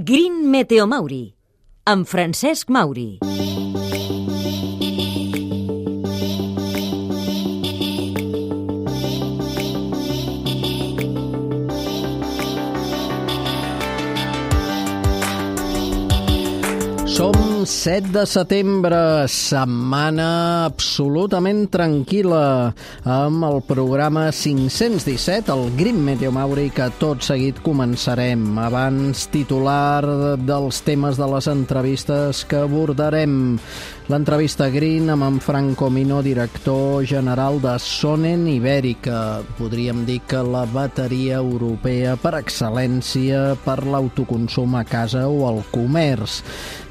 Green Meteo Mauri, amb Francesc Mauri. Som 7 de setembre, setmana absolutament tranquil·la, amb el programa 517, el Green Meteo Mauri, que tot seguit començarem. Abans, titular dels temes de les entrevistes que abordarem. L'entrevista Green amb en Franco Mino, director general de Sonen Ibèrica. Podríem dir que la bateria europea per excel·lència per l'autoconsum a casa o al comerç.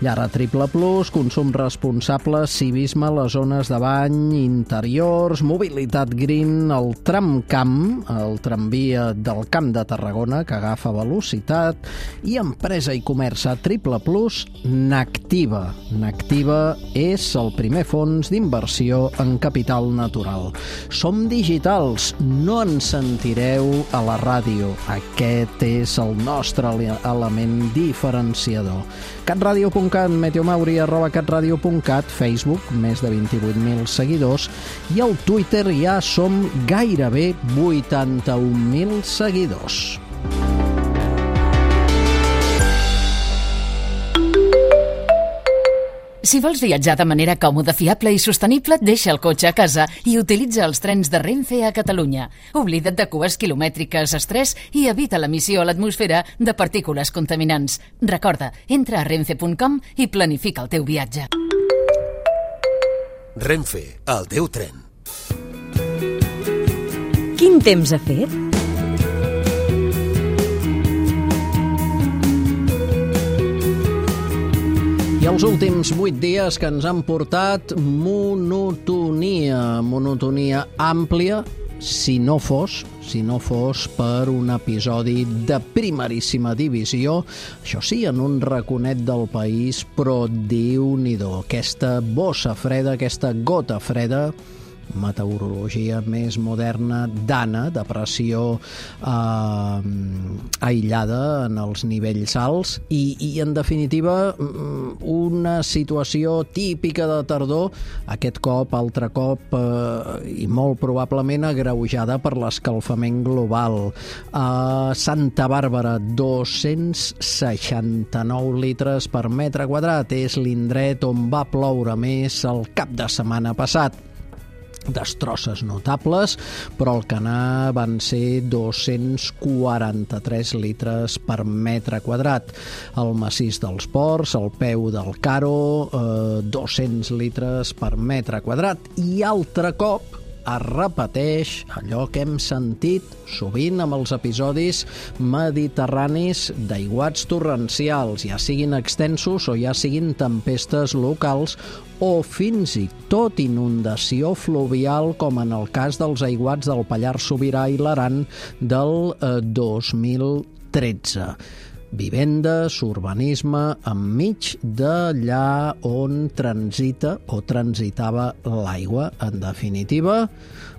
Llara Triple Plus, consum responsable, civisme a les zones de bany, interiors, mobilitat green, el tramcamp, el tramvia del Camp de Tarragona, que agafa velocitat, i empresa i comerç a Triple Plus, Nactiva. Nactiva és el primer fons d'inversió en capital natural. Som digitals, no ens sentireu a la ràdio. Aquest és el nostre element diferenciador. catradio.cat, meteomauri@catradio.cat, Facebook, més de 28.000 seguidors, i al Twitter ja som gairebé 81.000 seguidors. Si vols viatjar de manera còmoda, fiable i sostenible, deixa el cotxe a casa i utilitza els trens de Renfe a Catalunya. Oblida't de cues quilomètriques, estrès i evita l'emissió a l'atmosfera de partícules contaminants. Recorda, entra a renfe.com i planifica el teu viatge. Renfe, el teu tren. Quin temps ha fet? I els últims 8 dies que ens han portat monotonia àmplia, si no fos per un episodi de primeríssima divisió, això sí, en un raconet del país, però Déu-n'hi-do, aquesta bossa freda, aquesta gota freda, meteorologia més moderna d'Anna, de pressió aïllada en els nivells alts i en definitiva una situació típica de tardor, aquest cop, altre cop i molt probablement agreujada per l'escalfament global. A Santa Bàrbara, 269 litres per metre quadrat, és l'indret on va ploure més el cap de setmana passat. Destrosses notables, però al Canà van ser 243 litres per metre quadrat. El massís dels Ports, el peu del Caro, 200 litres per metre quadrat. I altre cop es repeteix allò que hem sentit sovint amb els episodis mediterranis d'aiguats torrencials, ja siguin extensos o ja siguin tempestes locals o fins i tot inundació fluvial, com en el cas dels aiguats del Pallars Sobirà i l'Aran del 2013. Vivendes, urbanisme, enmig d'allà on transita o transitava l'aigua. En definitiva,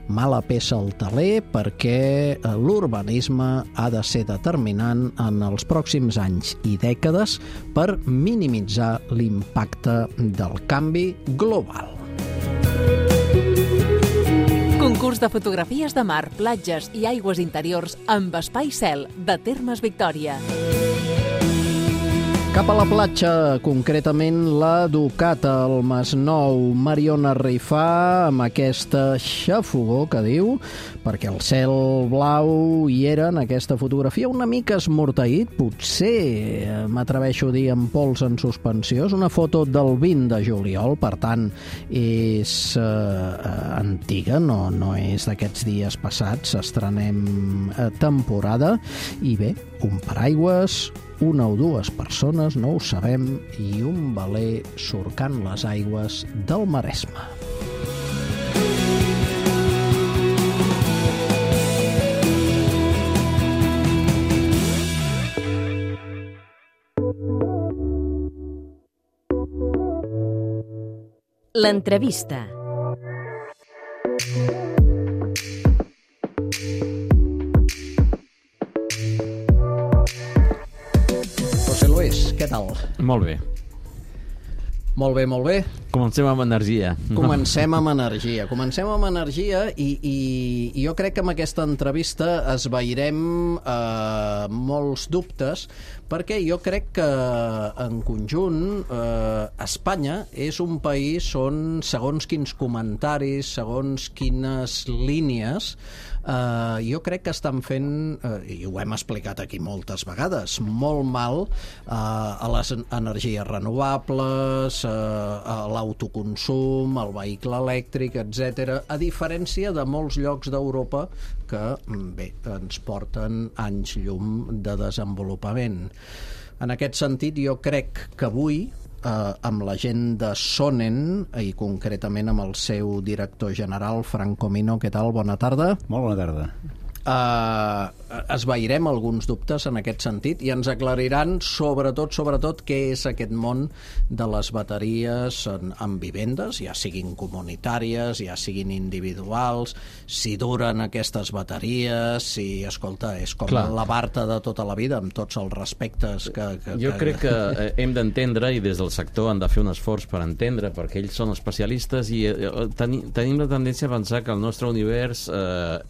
mala peça al teler, perquè l'urbanisme ha de ser determinant en els pròxims anys i dècades per minimitzar l'impacte del canvi global. Concurs de fotografies de mar, platges i aigües interiors amb Espai Cel, de Termes Victòria. Cap a la platja, concretament la Ducata, al Masnou. Mariona Rifà, amb aquesta xafogor que diu, perquè el cel blau hi era en aquesta fotografia una mica esmorteït, potser m'atreveixo a dir amb pols en suspensió. És una foto del 20 de juliol, per tant és antiga, no és d'aquests dies passats, estrenem temporada, i bé, un paraigües, una o dues persones, no ho sabem, i un veler surcant les aigües del Maresme. L'entrevista. Lluís, què tal? Molt bé. Molt bé, molt bé. Comencem amb energia. Comencem amb energia i jo crec que amb aquesta entrevista esvairem molts dubtes, perquè jo crec que en conjunt Espanya és un país on segons quins comentaris, segons quines línies, jo crec que estan fent, i ho hem explicat aquí moltes vegades, molt mal a les energies renovables, a l'autoconsum, al vehicle elèctric, etc., a diferència de molts llocs d'Europa que, bé, ens porten anys llum de desenvolupament. En aquest sentit, jo crec que avui, amb la gent de Sonen, i concretament amb el seu director general, Frank Comino, què tal? Bona tarda. Molt bona tarda. Esvairem alguns dubtes en aquest sentit i ens aclariran sobretot què és aquest món de les bateries en vivendes, ja siguin comunitàries, ja siguin individuals, si duren aquestes bateries, si, escolta, és com la Barta de tota la vida, amb tots els respectes que jo crec que hem d'entendre, i des del sector han de fer un esforç per entendre, perquè ells són especialistes i tenim la tendència a pensar que el nostre univers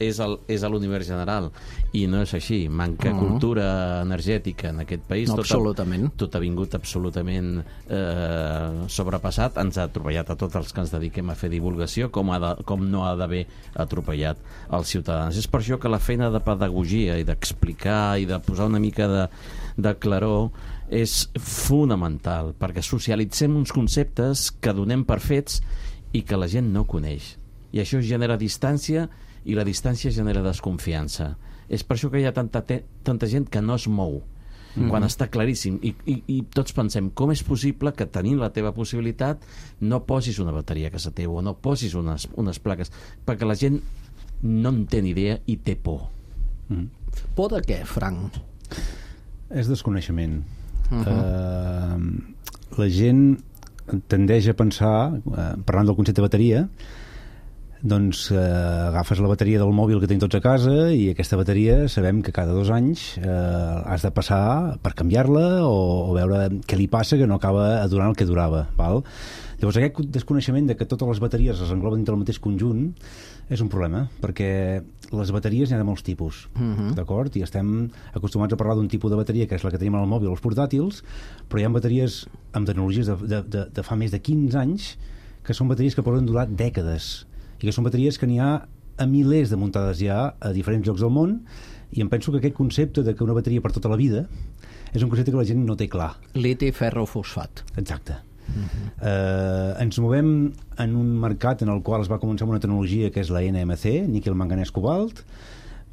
és l'univers general, i no és així. Manca cultura energètica en aquest país. No, absolutament. Tot ha vingut absolutament sobrepassat. Ens ha atropellat a tots els que ens dediquem a fer divulgació, com no ha d'haver atropellat els ciutadans. És per això que la feina de pedagogia i d'explicar i de posar una mica de claror és fonamental, perquè socialitzem uns conceptes que donem per fets i que la gent no coneix. I això genera distància, i la distància genera desconfiança. És per això que hi ha tanta gent que no es mou, quan està claríssim. I tots pensem, com és possible que tenint la teva possibilitat no posis una bateria a casa teva o no posis unes plaques? Perquè la gent no en té ni idea i té por. Por de què, Frank? És desconeixement. La gent tendeix a pensar, parlant del concepte de bateria, doncs agafes la bateria del mòbil que tenim tots a casa i aquesta bateria sabem que cada 2 anys has de passar per canviar-la o veure què li passa, que no acaba durant el que durava, val? Llavors aquest desconeixement de que totes les bateries es engloben dintre del mateix conjunt és un problema, perquè les bateries n'hi ha de molts tipus, d'acord? I estem acostumats a parlar d'un tipus de bateria que és la que tenim al mòbil o als portàtils, però hi ha bateries amb tecnologies de fa més de 15 anys que són bateries que poden durar dècades, i que són bateries que n'hi ha a milers de muntades ja a diferents llocs del món, i em penso que aquest concepte de que una bateria per tota la vida és un concepte que la gent no té clar. Liti, ferro, fosfat. Exacte. Ens movem en un mercat en el qual es va començar amb una tecnologia que és la NMC, níquel, manganès, cobalt,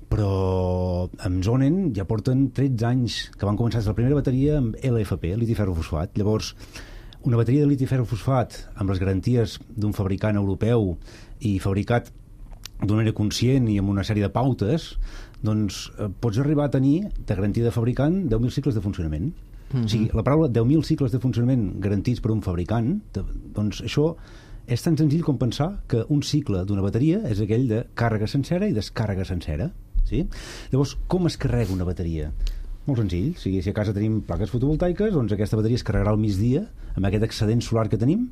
però amb Sonen ja porten 13 anys que van començar la primera bateria amb LFP, liti, ferro, fosfat. Llavors, una bateria de liti, ferro, fosfat amb les garanties d'un fabricant europeu i fabricat d'una manera conscient i amb una sèrie de pautes, doncs pots arribar a tenir de garantia de fabricant 10.000 cicles de funcionament. O sigui, la paraula 10.000 cicles de funcionament garantits per un fabricant, doncs això és tan senzill com pensar que un cicle d'una bateria és aquell de càrrega sencera i descàrrega sencera. Sí? Llavors, com es carrega una bateria? Molt senzill. O sigui, si a casa tenim plaques fotovoltaiques, doncs aquesta bateria es carregarà al migdia amb aquest excedent solar que tenim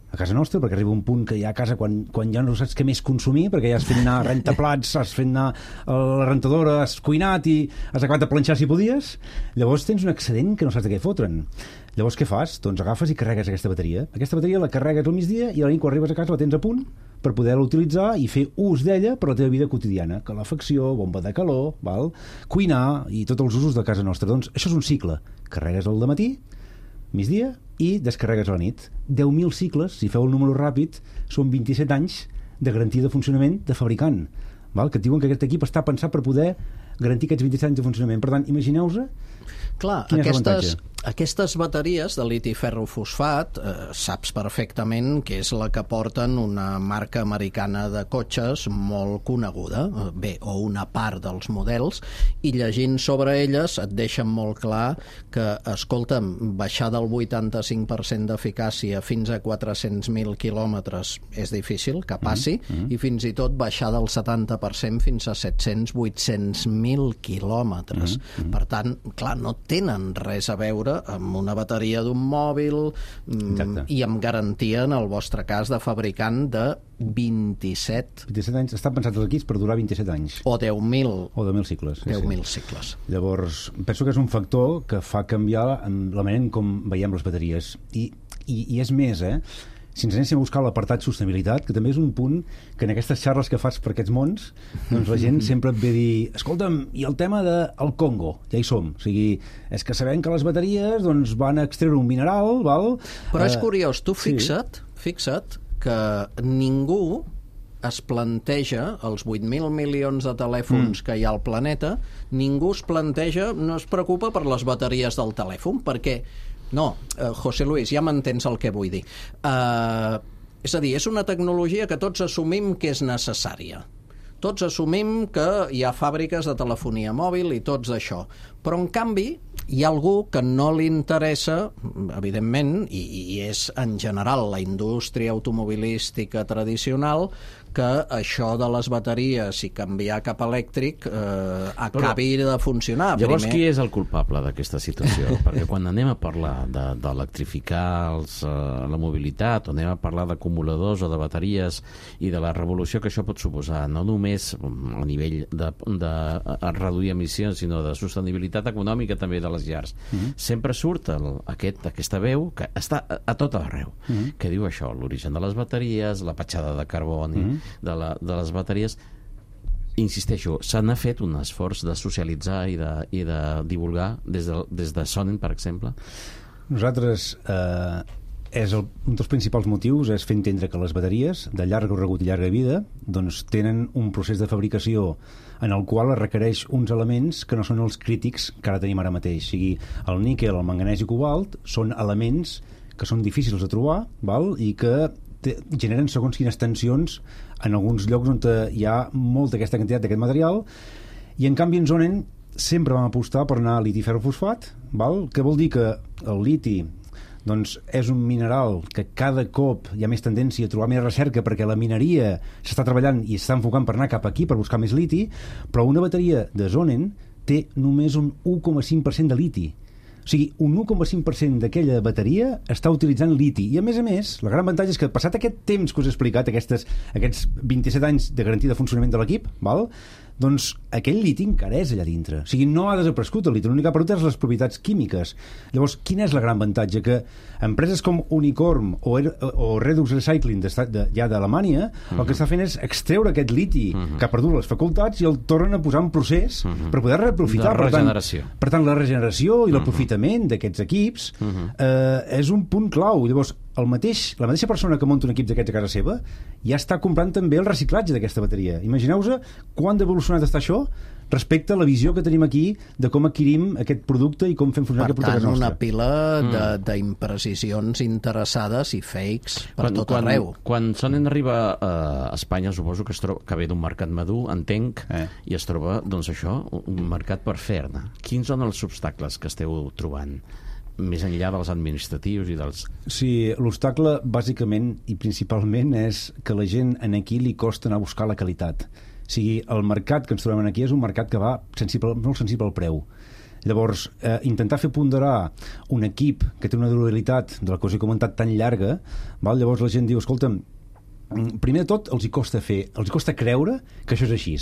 a casa nostra, perquè arriba un punt que ja a casa quan ja no saps què més consumir, perquè ja has fet anar rentaplats, has fet anar a la rentadora, has cuinat i has acabat de planxar si podies, llavors tens un excedent que no saps de què fotre'n. Llavors què fas? Doncs agafes i carregues aquesta bateria. Aquesta bateria la carregues al migdia i a la nit quan arribes a casa la tens a punt per poder-la utilitzar i fer ús d'ella per la teva vida quotidiana. Calefacció, bomba de calor, val? Cuinar i tots els usos de casa nostra. Doncs això és un cicle. Carregues al dematí, migdia i descarregues a la nit. 10.000 cicles, si feu el número ràpid, són 27 anys de garantia de funcionament de fabricant, val? Que et diuen que aquest equip està pensat per poder garantir aquests 27 anys de funcionament. Per tant, imagineu-vos quin és l'avantatge. Aquestes bateries de liti ferro fosfat saps perfectament que és la que porten una marca americana de cotxes molt coneguda, bé, o una part dels models, i llegint sobre elles et deixen molt clar que, escolta'm, baixar del 85% d'eficàcia fins a 400.000 quilòmetres és difícil que passi, i fins i tot baixar del 70% fins a 700-800.000 quilòmetres. Per tant, clar, no tenen res a veure amb una bateria d'un mòbil i amb garantia, en el vostre cas, de fabricant de 27 anys. Estan pensats els equips per durar 27 anys. O 10.000. O 10.000 cicles. 10.000 cicles. Llavors, penso que és un factor que fa canviar la manera en com veiem les bateries. I és més, si ens anéssim a buscar l'apartat sostenibilitat, que també és un punt que en aquestes xarres que fas per aquests mons, doncs la gent sempre et ve a dir, escolta'm, i el tema del Congo, ja hi som. O sigui, és que sabem que les bateries doncs, van a extreure un mineral, val? Però és curiós, tu fixa't que ningú es planteja els 8.000 milions de telèfons que hi ha al planeta, ningú es planteja, no es preocupa per les bateries del telèfon, perquè no, José Luis, ja m'entens el que vull dir. És a dir, és una tecnologia que tots assumim que és necessària. Tots assumim que hi ha fàbriques de telefonia mòbil i tots això. Però, en canvi, hi ha algú que no li interessa, evidentment, i és en general la indústria automobilística tradicional, que això de les bateries i canviar cap elèctric acabi de funcionar. Llavors, qui és el culpable d'aquesta situació? Perquè quan anem a parlar d'electrificar la mobilitat, o anem a parlar d'acumuladors o de bateries i de la revolució que això pot suposar, no només a nivell de reduir emissions, sinó de sostenibilitat econòmica també de les llars, sempre surt aquesta veu que està a tot arreu, que diu això, l'origen de les bateries, la petjada de carboni de les bateries. Insisteixo, se n'ha fet un esforç de socialitzar i de divulgar des de Sonnen, per exemple? Nosaltres, un dels principals motius és fer entendre que les bateries de llarg recorregut i llarga vida doncs tenen un procés de fabricació en el qual es requereix uns elements que no són els crítics que ara tenim ara mateix. O sigui, el níquel, el manganès i cobalt són elements que són difícils de trobar, val? I que generen segons quines tensions en alguns llocs on hi ha molta aquesta quantitat d'aquest material, i en canvi en Sonnen sempre vam apostar per anar a liti-ferrofosfat, val? Que vol dir que el liti doncs és un mineral que cada cop hi ha més tendència a trobar més recerca perquè la mineria s'està treballant i s'està enfocant per anar cap aquí per buscar més liti, però una bateria de Sonnen té només un 1,5% de liti. O sigui, un 1,5% d'aquella bateria està utilitzant liti. I, a més, el gran avantatge és que, passat aquest temps que us he explicat, aquests 27 anys de garantia de funcionament de l'equip, val? Doncs aquell liti encara és allà dintre. O sigui, no ha desaparegut el liti, l'únic que ha perdut és les propietats químiques. Llavors, quin és el gran avantatge? Que empreses com Unicorn o Redux Recycling ja d'Alemanya el que està fent és extreure aquest liti que ha perdut les facultats i el tornen a posar en procés per poder reaprofitar. La regeneració. Per tant, la regeneració i l'aprofitament d'aquests equips és un punt clau. Llavors, la mateixa persona que munta un equip d'aquests a casa seva ja està comprant també el reciclatge d'aquesta bateria. Imagineu-vos quant d'evolucionat està això respecte a la visió que tenim aquí de com adquirim aquest producte i com fem funcionar aquest producte a casa nostra. Per tant, una pila d'imprecisions interessades i fakes per tot arreu. Quan Sonnen arriba a Espanya, suposo que ve d'un mercat madur, entenc, i es troba, doncs això, un mercat per fer-ne. Quins són els obstacles que esteu trobant? Més enllà dels administratius i dels... Sí, l'obstacle bàsicament i principalment és que la gent aquí li costa anar a buscar la qualitat. O sigui, el mercat que ens trobem aquí és un mercat que va molt sensible al preu. Llavors, intentar fer ponderar un equip que té una durabilitat de la que us he comentat tan llarga, val? Llavors la gent diu, escolta'm, primer de tot els hi costa creure que això és així.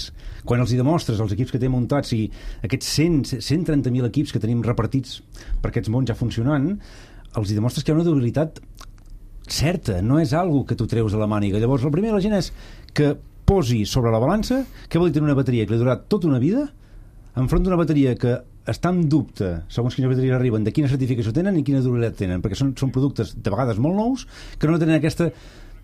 Quan els hi demostres els equips que té muntats i aquests 130.000 equips que tenim repartits per aquests mons ja funcionant, els hi demostres que hi ha una durabilitat certa, no és algo que tu treus de la màniga. Llavors el primer de la gent és que posi sobre la balança què vol dir tenir una bateria que li ha durat tota una vida enfront d'una bateria que està en dubte, segons quines bateries arriben, de quina certificació tenen i quina durabilitat tenen, perquè són productes de vegades molt nous que no tenen aquesta...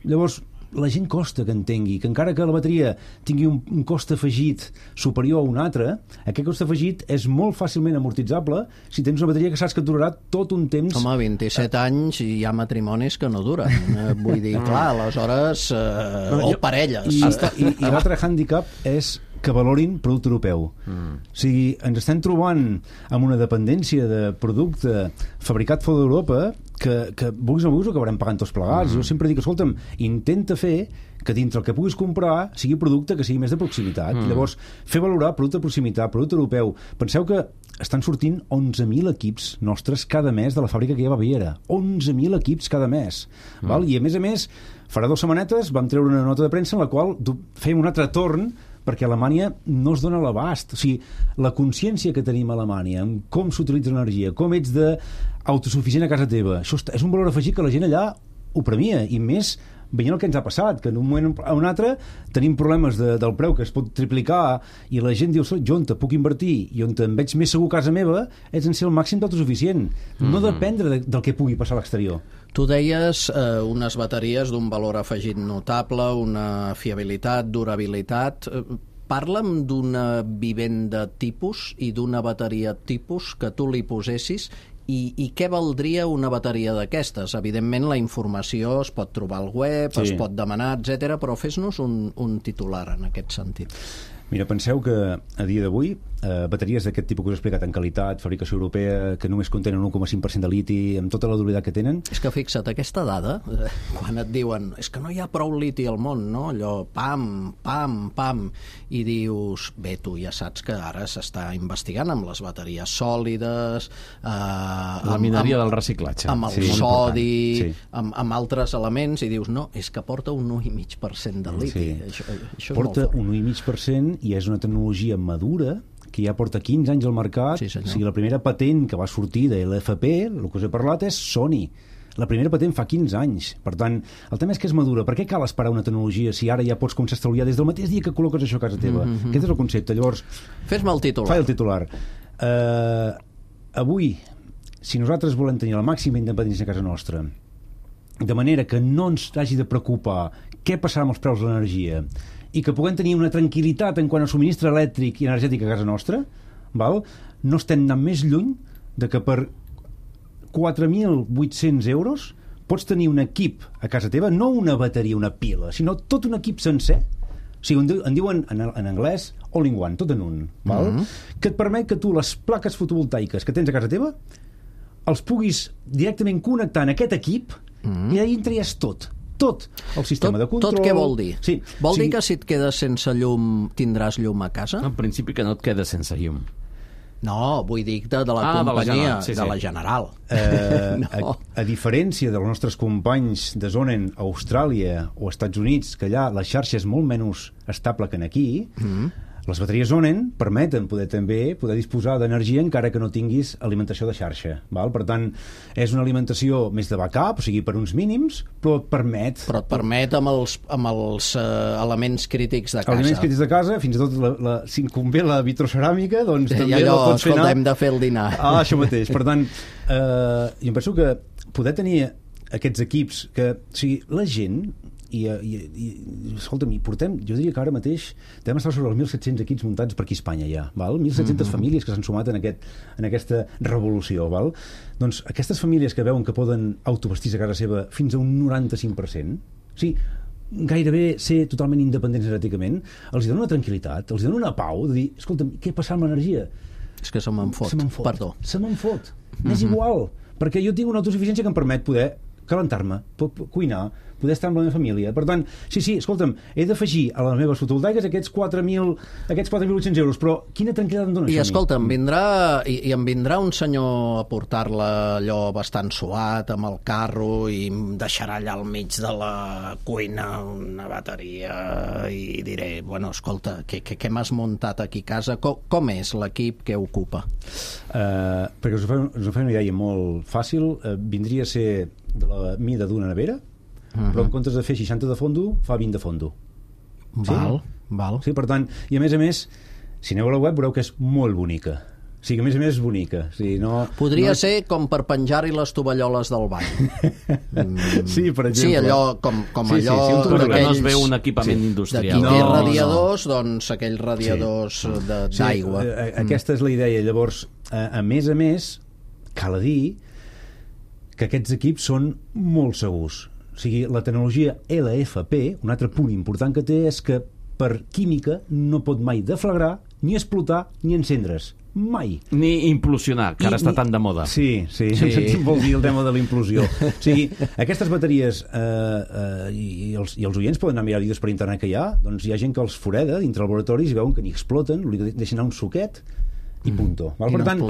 Llavors, la gent costa que entengui que encara que la bateria tingui un cost afegit superior a un altre, aquest cost afegit és molt fàcilment amortitzable si tens una bateria que saps que et durarà tot un temps. Home, 27 anys i hi ha matrimonis que no duren. Vull dir, clar, aleshores... o parelles. I l'altre hàndicap és que valorin producte europeu. O sigui, ens estem trobant amb una dependència de producte fabricat fora d'Europa que vulguis o no vulguis ho acabarem pagant tots plegats. Jo sempre dic, escolta'm, intenta fer que dintre el que puguis comprar sigui producte que sigui més de proximitat. Llavors, fer valorar producte de proximitat, producte europeu. Penseu que estan sortint 11.000 equips nostres cada mes de la fàbrica que hi ha a Baviera. 11.000 equips cada mes. Val? I a més, farà 2 setmanetes vam treure una nota de premsa en la qual fèiem un altre torn perquè Alemanya no es dona l'abast. O sigui, la consciència que tenim a Alemanya en com s'utilitza l'energia, com ets d'autosuficient a casa teva, això és un valor afegit que la gent allà ho premia, i més veient el que ens ha passat, que en un moment o un altre tenim problemes del preu que es pot triplicar i la gent diu, jo on te puc invertir i on em veig més segur a casa meva és en ser el màxim d'autosuficient, no dependre del que pugui passar a l'exterior. Tu deies unes bateries d'un valor afegit notable, una fiabilitat, durabilitat. Parla'm d'una vivenda tipus i d'una bateria tipus que tu li posessis. I què valdria una bateria d'aquestes? Evidentment, la informació es pot trobar al web, es pot demanar, etc. però fes-nos un titular en aquest sentit. Mira, penseu que a dia d'avui bateries d'aquest tipus que us he explicat en qualitat, fabricació europea, que només contenen 1,5% de liti, amb tota la durabilitat que tenen... És que fixa't, aquesta dada, quan et diuen és que no hi ha prou liti al món, no? Allò, pam, pam, pam, i dius, bé, tu ja saps que ara s'està investigant amb les bateries sòlides... la mineria del reciclatge. Amb el sodi, amb altres elements, i dius, no, és que porta un 1,5% de liti. Això porta un 1,5% i és una tecnologia madura que ja porta 15 anys al mercat. O sigui, la primera patent que va sortir de l'FP, el que us he parlat, és Sony. La primera patent fa 15 anys. Per tant, el tema és que és madura. Per què cal esperar una tecnologia si ara ja pots començar a estalviar des del mateix dia que col·loques això a casa teva? Aquest és el concepte. Llavors, fes-me el titular. Fa el titular. Avui, si nosaltres volem tenir la màxima independència a casa nostra, de manera que no ens hagi de preocupar què passarà amb els preus de l'energia i que puguem tenir una tranquil·litat en quant a subministre elèctric i energètic a casa nostra, no estem anant més lluny de que per 4.800 euros pots tenir un equip a casa teva, no una bateria, una pila, sinó tot un equip sencer. O sigui, en diuen en anglès all-in-one, tot en un, que et permet que tu les plaques fotovoltaiques que tens a casa teva els puguis directament connectar en aquest equip i allà entraries tot el sistema de control. Tot què vol dir? Sí. Vol dir que si et quedes sense llum tindràs llum a casa? En principi que no et quedes sense llum. No, vull dir de la companyia, de la General. No. A diferència dels nostres companys de Sonnen a Austràlia o Estats Units, que allà la xarxa és molt menys estable que aquí, les bateries Sonnen permeten poder disposar d'energia encara que no tinguis alimentació de xarxa. Per tant, és una alimentació més de backup, o sigui, per uns mínims, però et permet... Però et permet amb els elements crítics de casa. Elements crítics de casa, fins i tot si convé la vitroceràmica, doncs també allò, la pots fer anar... hem de fer el dinar. Això mateix. Per tant, jo em penso que poder tenir aquests equips que... O sigui, la gent... escolta'm, jo diria que ara mateix devem estar sobre els 1.700 equips muntats per aquí a Espanya ja, 1.700 famílies que s'han sumat en aquesta revolució, doncs aquestes famílies que veuen que poden autovestir-se a casa seva fins a un 95%, o sigui, gairebé ser totalment independents energèticament, els dona una tranquil·litat, els dona una pau de dir, escolta'm, què passa amb l'energia? És que se me'n fot, perdó. Se me'n fot, és igual, perquè jo tinc una autosuficiència que em permet poder calentar-me, cuinar, poder estar amb la meva família. Per tant, sí, escolta'm, he d'afegir a les meves fotovoltaiques aquests 4.800 euros, però quina tranquil·litat em dona això? I escolta'm, em vindrà un senyor a portar-la allò bastant suat, amb el carro, i em deixarà allà al mig de la cuina una bateria, i diré, bueno, escolta, què m'has muntat aquí a casa? Com és l'equip que ocupa? Perquè us ho fa una idea molt fàcil, vindria a ser de la mida d'una nevera, però en comptes de fer 60 de fondo, fa 20 de fondo. Val. Sí, per tant, i a més, si aneu a la web veureu que és molt bonica. O sigui, a més és bonica. O sigui, Podria ser com per penjar-hi les tovalloles del bany. Sí, per exemple. Sí, allò, com allò... Però que no es veu un equipament industrial. Qui té radiadors, doncs aquells radiadors d'aigua. Aquesta és la idea. Llavors, a més, cal dir que aquests equips són molt segurs. O sigui, la tecnologia LFP, un altre punt important que té és que per química no pot mai deflagrar, ni explotar, ni encendre's. mai. Ni implosionar, que ara està tan de moda. Sí, en sentit vol dir el tema de la implosió. O sigui, aquestes bateries i els oients poden anar a mirar vídeos per internet que hi ha, doncs hi ha gent que els foreda dintre laboratoris i veuen que ni exploten, li deixen anar un suquet i punto. Val? Per tant,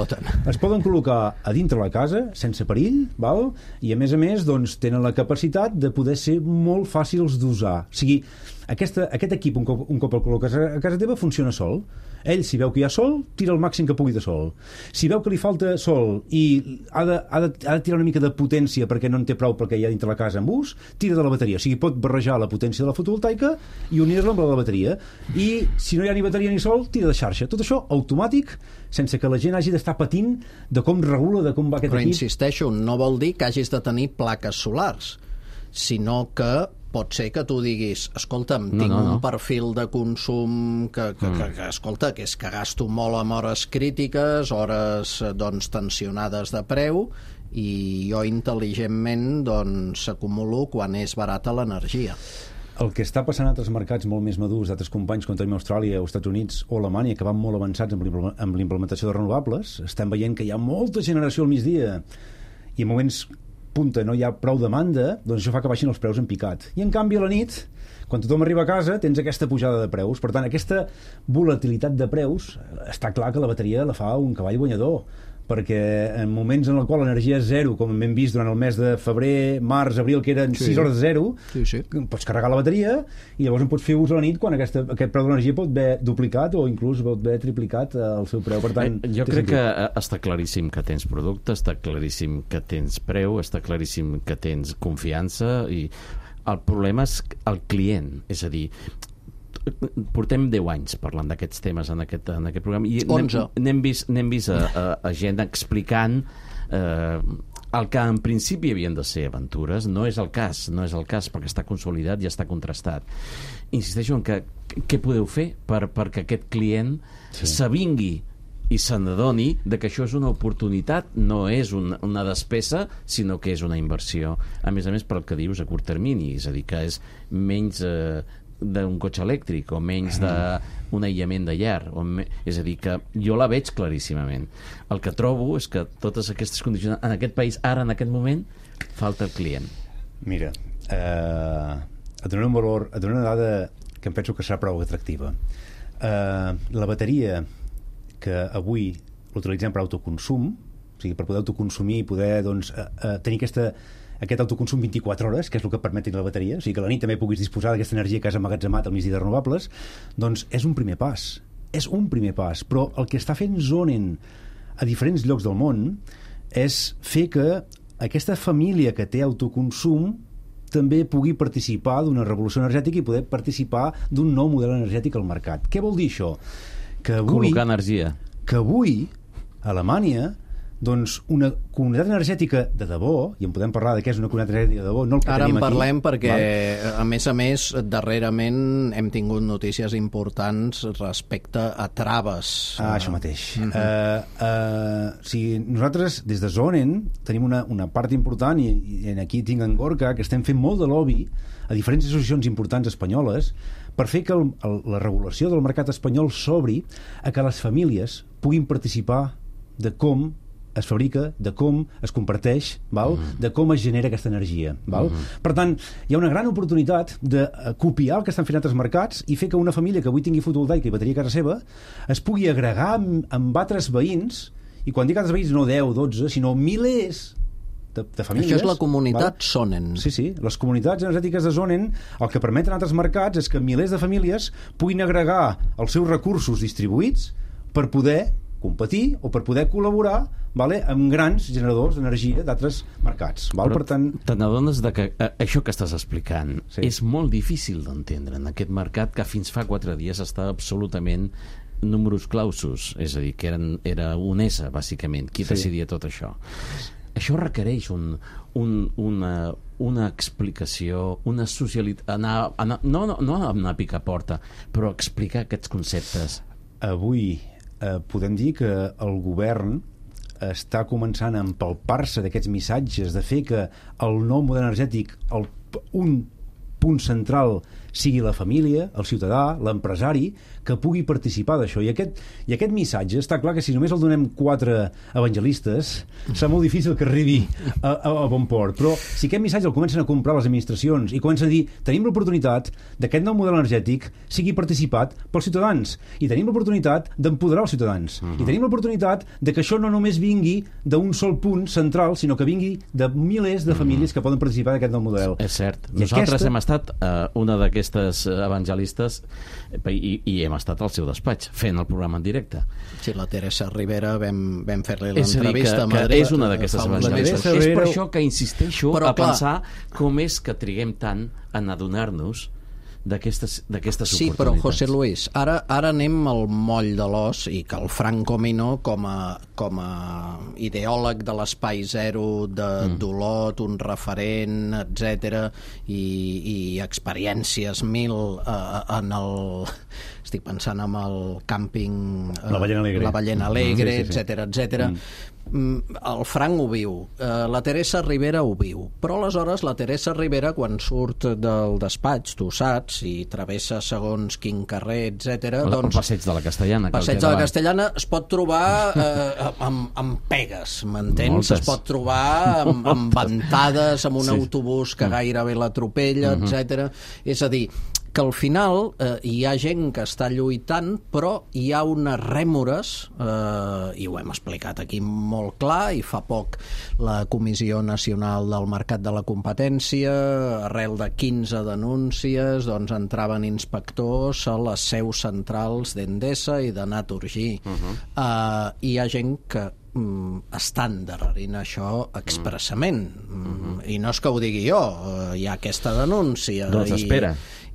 es poden col·locar a dintre la casa sense perill, val? I a més doncs, tenen la capacitat de poder ser molt fàcils d'usar. O sigui, aquest equip, un cop el col·loques a casa teva, funciona sol. Ell, si veu que hi ha sol, tira el màxim que pugui de sol. Si veu que li falta sol i ha de tirar una mica de potència perquè no en té prou perquè hi ha dintre la casa amb ús, tira de la bateria. O sigui, pot barrejar la potència de la fotovoltaica i unir-la amb la de la bateria. I si no hi ha ni bateria ni sol, tira de xarxa. Tot això automàtic, sense que la gent hagi d'estar patint de com regula, de com va aquest equip. Però insisteixo, no vol dir que hagis de tenir plaques solars, sinó que pot ser que tu diguis, escolta'm, tinc un perfil de consum que escolta, que és que gasto molt en hores crítiques, hores doncs tensionades de preu, i jo intel·ligentment doncs s'acumulo quan és barata l'energia. El que està passant a altres mercats molt més madurs, d'altres companys com tenim a Austràlia, als Estats Units o Alemanya, que van molt avançats amb l'implementació de renovables, estem veient que hi ha molta generació al migdia i en moments punta no hi ha prou demanda, doncs això fa que baixin els preus en picat. I en canvi a la nit, quan tothom arriba a casa, tens aquesta pujada de preus. Per tant, aquesta volatilitat de preus, està clar que la bateria la fa un cavall guanyador, perquè en moments en el qual l'energia és zero, com hem vist durant el mes de febrer, març, abril, que eren 6 hores de zero, pots carregar la bateria i llavors en pots fer ús a la nit quan aquest preu de l'energia pot haver duplicat o inclús pot haver triplicat el seu preu. Per tant, jo crec que està claríssim que tens producte, està claríssim que tens preu, està claríssim que tens confiança, i el problema és el client, és a dir, portem 10 anys parlant d'aquests temes en aquest programa i n'hem vist a gent explicant el que en principi havien de ser aventures. No és el cas perquè està consolidat i està contrastat. Insisteixo en que què podeu fer perquè aquest client s'avingui i se n'adoni que això és una oportunitat, no és una despesa, sinó que és una inversió, a més pel que dius a curt termini, és a dir, que és menys d'un cotxe elèctric o menys d'un aïllament de llar, és a dir, que jo la veig claríssimament. El que trobo és que totes aquestes condicions en aquest país, ara en aquest moment, falta el client. Mira, et donaré un valor, et donaré una dada que em penso que serà prou atractiva. La bateria que avui l'utilitzem per autoconsum, o sigui, per poder autoconsumir i poder tenir aquest autoconsum 24 hores, que és el que permet tenir la bateria, o sigui que a la nit també puguis disposar d'aquesta energia que has emmagatzemat al migdia de renovables, doncs és un primer pas. És un primer pas, però el que està fent Sonnen a diferents llocs del món és fer que aquesta família que té autoconsum també pugui participar d'una revolució energètica i poder participar d'un nou model energètic al mercat. Què vol dir això? Que avui, col·locar energia. Que avui a Alemanya doncs una comunitat energètica de debò, i en podem parlar de què és una comunitat energètica de debò, no el que ara tenim aquí. Ara en parlem perquè, a més, darrerament hem tingut notícies importants respecte a traves. Això mateix. Si nosaltres, des de Sonnen, tenim una part important, i aquí tinc en Gorka, que estem fent molt de lobby a diferents associacions importants espanyoles per fer que la regulació del mercat espanyol s'obri a que les famílies puguin participar de com es fabrica, de com es comparteix, de com es genera aquesta energia. Per tant, hi ha una gran oportunitat de copiar el que estan fent altres mercats i fer que una família que avui tingui fotovoltaica i bateria a casa seva es pugui agregar amb altres veïns, i quan dic altres veïns no 10, 12, sinó milers de famílies. Això és la comunitat Sonnen. Sí, les comunitats energètiques de Sonnen el que permeten a altres mercats és que milers de famílies puguin agregar els seus recursos distribuïts per poder competir o per poder col·laborar amb grans generadors d'energia d'altres mercats. Per tant, te n'adones que això que estàs explicant és molt difícil d'entendre en aquest mercat que fins fa 4 dies estava absolutament numerus clausus, és a dir, que era un S, bàsicament, qui decidia tot això. Això requereix una explicació, una socialitat, no anar a picar porta, però explicar aquests conceptes. Avui podem dir que el govern està començant a empalpar-se d'aquests missatges de fer que el nou model energètic, un punt central sigui la família, el ciutadà, l'empresari, que pugui participar d'això. I aquest missatge, està clar que si només el donem 4 evangelistes, serà molt difícil que arribi a bon port. Però si aquest missatge el comencen a comprar les administracions i comencen a dir tenim l'oportunitat d'aquest nou model energètic sigui participat pels ciutadans, i tenim l'oportunitat d'empoderar els ciutadans, i tenim l'oportunitat de que això no només vingui d'un sol punt central, sinó que vingui de milers de famílies que poden participar d'aquest nou model. És cert. Nosaltres hem estat una d'aquestes evangelistes i hem estat al seu despatx fent el programa en directe. Sí, la Teresa Rivera vam fer-li l'entrevista a Madrid. Madrid. És una d'aquestes evangelistes. És per això que insisteixo a pensar com és que triguem tant en adonar-nos d'aquestes oportunitats. Sí, però José Luis, ara anem al moll de l'os, i que el Franco Minó, com a ideòleg de l'espai zero, d'Olot, un referent, etc, i experiències mil en el... Estic pensant en el càmping... La Ballena Alegre, etc. El Frank ho viu, la Teresa Rivera ho viu, però aleshores la Teresa Rivera, quan surt del despatx, tu saps, i travessa segons quin carrer, etc. El passeig de la Castellana. Passeig de la Castellana es pot trobar amb pegues, m'entens? Es pot trobar amb ventades, amb un autobús que gairebé l'atropella, etc. És a dir, que al final hi ha gent que està lluitant, però hi ha unes rèmores, i ho hem explicat aquí molt clar, i fa poc la Comissió Nacional del Mercat de la Competència, arrel de 15 denúncies, doncs entraven inspectors a les seus centrals d'Endesa i de Naturgy. Hi ha gent que estan darrerint això expressament, i no és que ho digui jo, hi ha aquesta denúncia.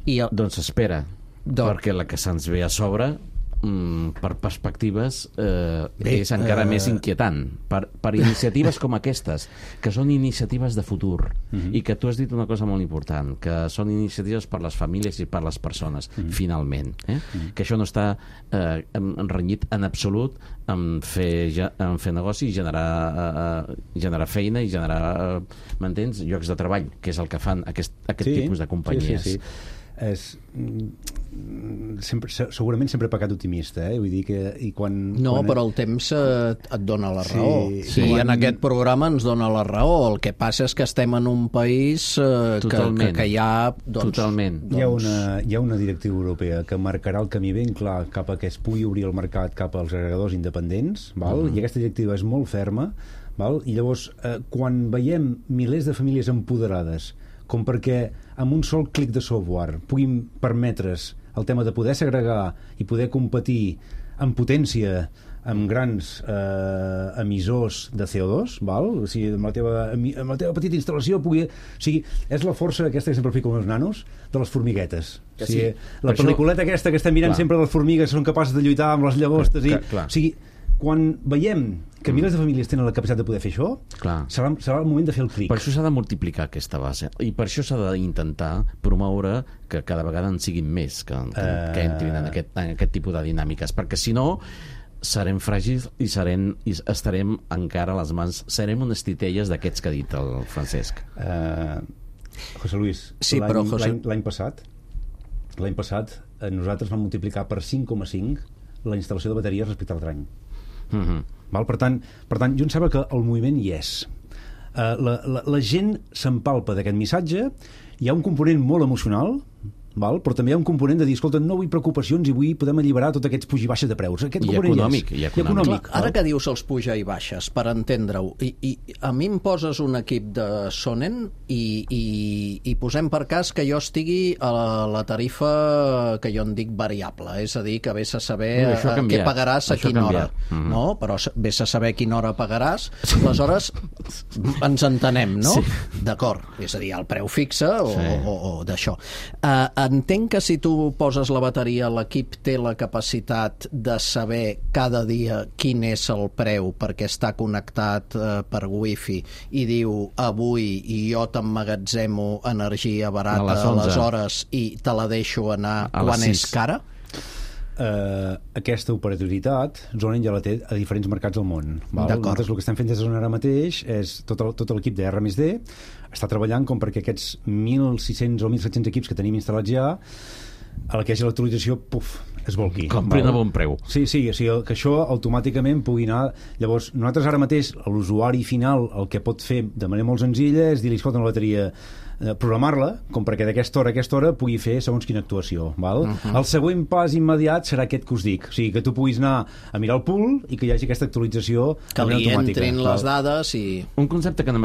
Doncs espera, perquè la que se'ns ve a sobre per perspectives és encara més inquietant, per iniciatives com aquestes, que són iniciatives de futur, i que tu has dit una cosa molt important, que són iniciatives per les famílies i per les persones, finalment, que això no està renyit en absolut en fer negoci i generar feina i generar, m'entens, llocs de treball, que és el que fan aquest tipus de companyies. Sí. Segurament sempre he pecat optimista, vull dir que però el temps et dona la raó, i en aquest programa ens dona la raó. El que passa és que estem en un país que hi ha totalment. Hi ha una directiva europea que marcarà el camí ben clar cap a que es pugui obrir el mercat cap als agregadors independents, i aquesta directiva és molt ferma, i llavors quan veiem milers de famílies empoderades com perquè amb un sol clic de software puguin permetre's el tema de poder segregar i poder competir en potència amb grans emissors de CO2, o sigui, amb la teva petita instal·lació pugui... O sigui, és la força aquesta que sempre fico amb els nanos, de les formiguetes. O sigui, la pel·lículeta aquesta que estem mirant sempre de les formigues són capaces de lluitar amb les llagostes i... O sigui, quan veiem que milers de famílies tenen la capacitat de poder fer això, serà el moment de fer el clic. Per això s'ha de multiplicar aquesta base, i per això s'ha d'intentar promoure que cada vegada en siguin més que entrin en aquest tipus de dinàmiques, perquè si no serem fràgils i estarem encara a les mans, serem unes titelles d'aquests que ha dit el Francesc. José Luis, l'any passat nosaltres vam multiplicar per 5,5 la instal·lació de bateries respecte a l'altre any. Per tant, jo em sembla que el moviment hi és. La gent s'empalpa d'aquest missatge, hi ha un component molt emocional, però també hi ha un component de dir, escolta, no vull preocupacions i vull poder alliberar tots aquests puja i baixes de preus. I econòmic. Ara que dius els puja i baixes, per entendre-ho, i a mi em poses un equip de Sonen i posem per cas que jo estigui a la tarifa que jo en dic variable, és a dir, que vés a saber què pagaràs a quina hora. No, però vés a saber a quina hora pagaràs, aleshores ens entenem, no? D'acord, és a dir, el preu fixe o d'això. Entenc que si tu poses la bateria, l'equip té la capacitat de saber cada dia quin és el preu perquè està connectat per wifi i diu avui jo t'emmagatzemo energia barata a les hores i te la deixo anar quan és cara? aquesta operatoritat Zonen ja la té a diferents mercats del món. Nosaltres el que estem fent des de Zonen ara mateix és tot l'equip de R+D està treballant com perquè aquests 1.600 o 1.700 equips que tenim instal·lats ja, a la que hi hagi l'actualització, es volqui. Comprin a bon preu. Sí, o sigui, que això automàticament pugui anar... Llavors, nosaltres ara mateix, l'usuari final, el que pot fer de manera molt senzilla és dir-li, escolta, una bateria, programar-la, com perquè d'aquesta hora a aquesta hora pugui fer segons quina actuació. Val? El següent pas immediat serà aquest que us dic. O sigui, que tu puguis anar a mirar el pool i que hi hagi aquesta actualització que li entrin les dades i... Un concepte que no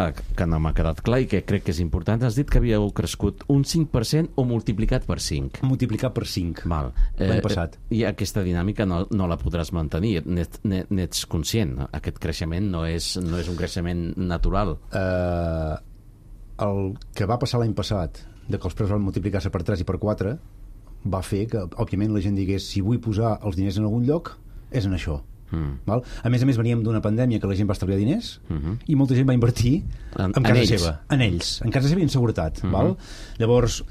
m'ha quedat clar i que crec que és important. Has dit que havíeu crescut un 5% o multiplicat per 5? Multiplicat per 5. Val. L'any passat. I aquesta dinàmica no la podràs mantenir. N'ets conscient. Aquest creixement no és un creixement natural. El que va passar l'any passat, de que els preus van multiplicar-se per 3 i per 4, va fer que, òbviament, la gent digués si vull posar els diners en algun lloc, és en això. Val? A més, veníem d'una pandèmia que la gent va estalviar diners i molta gent va invertir en casa seva. En ells. En casa seva i en seguretat. Val? Llavors,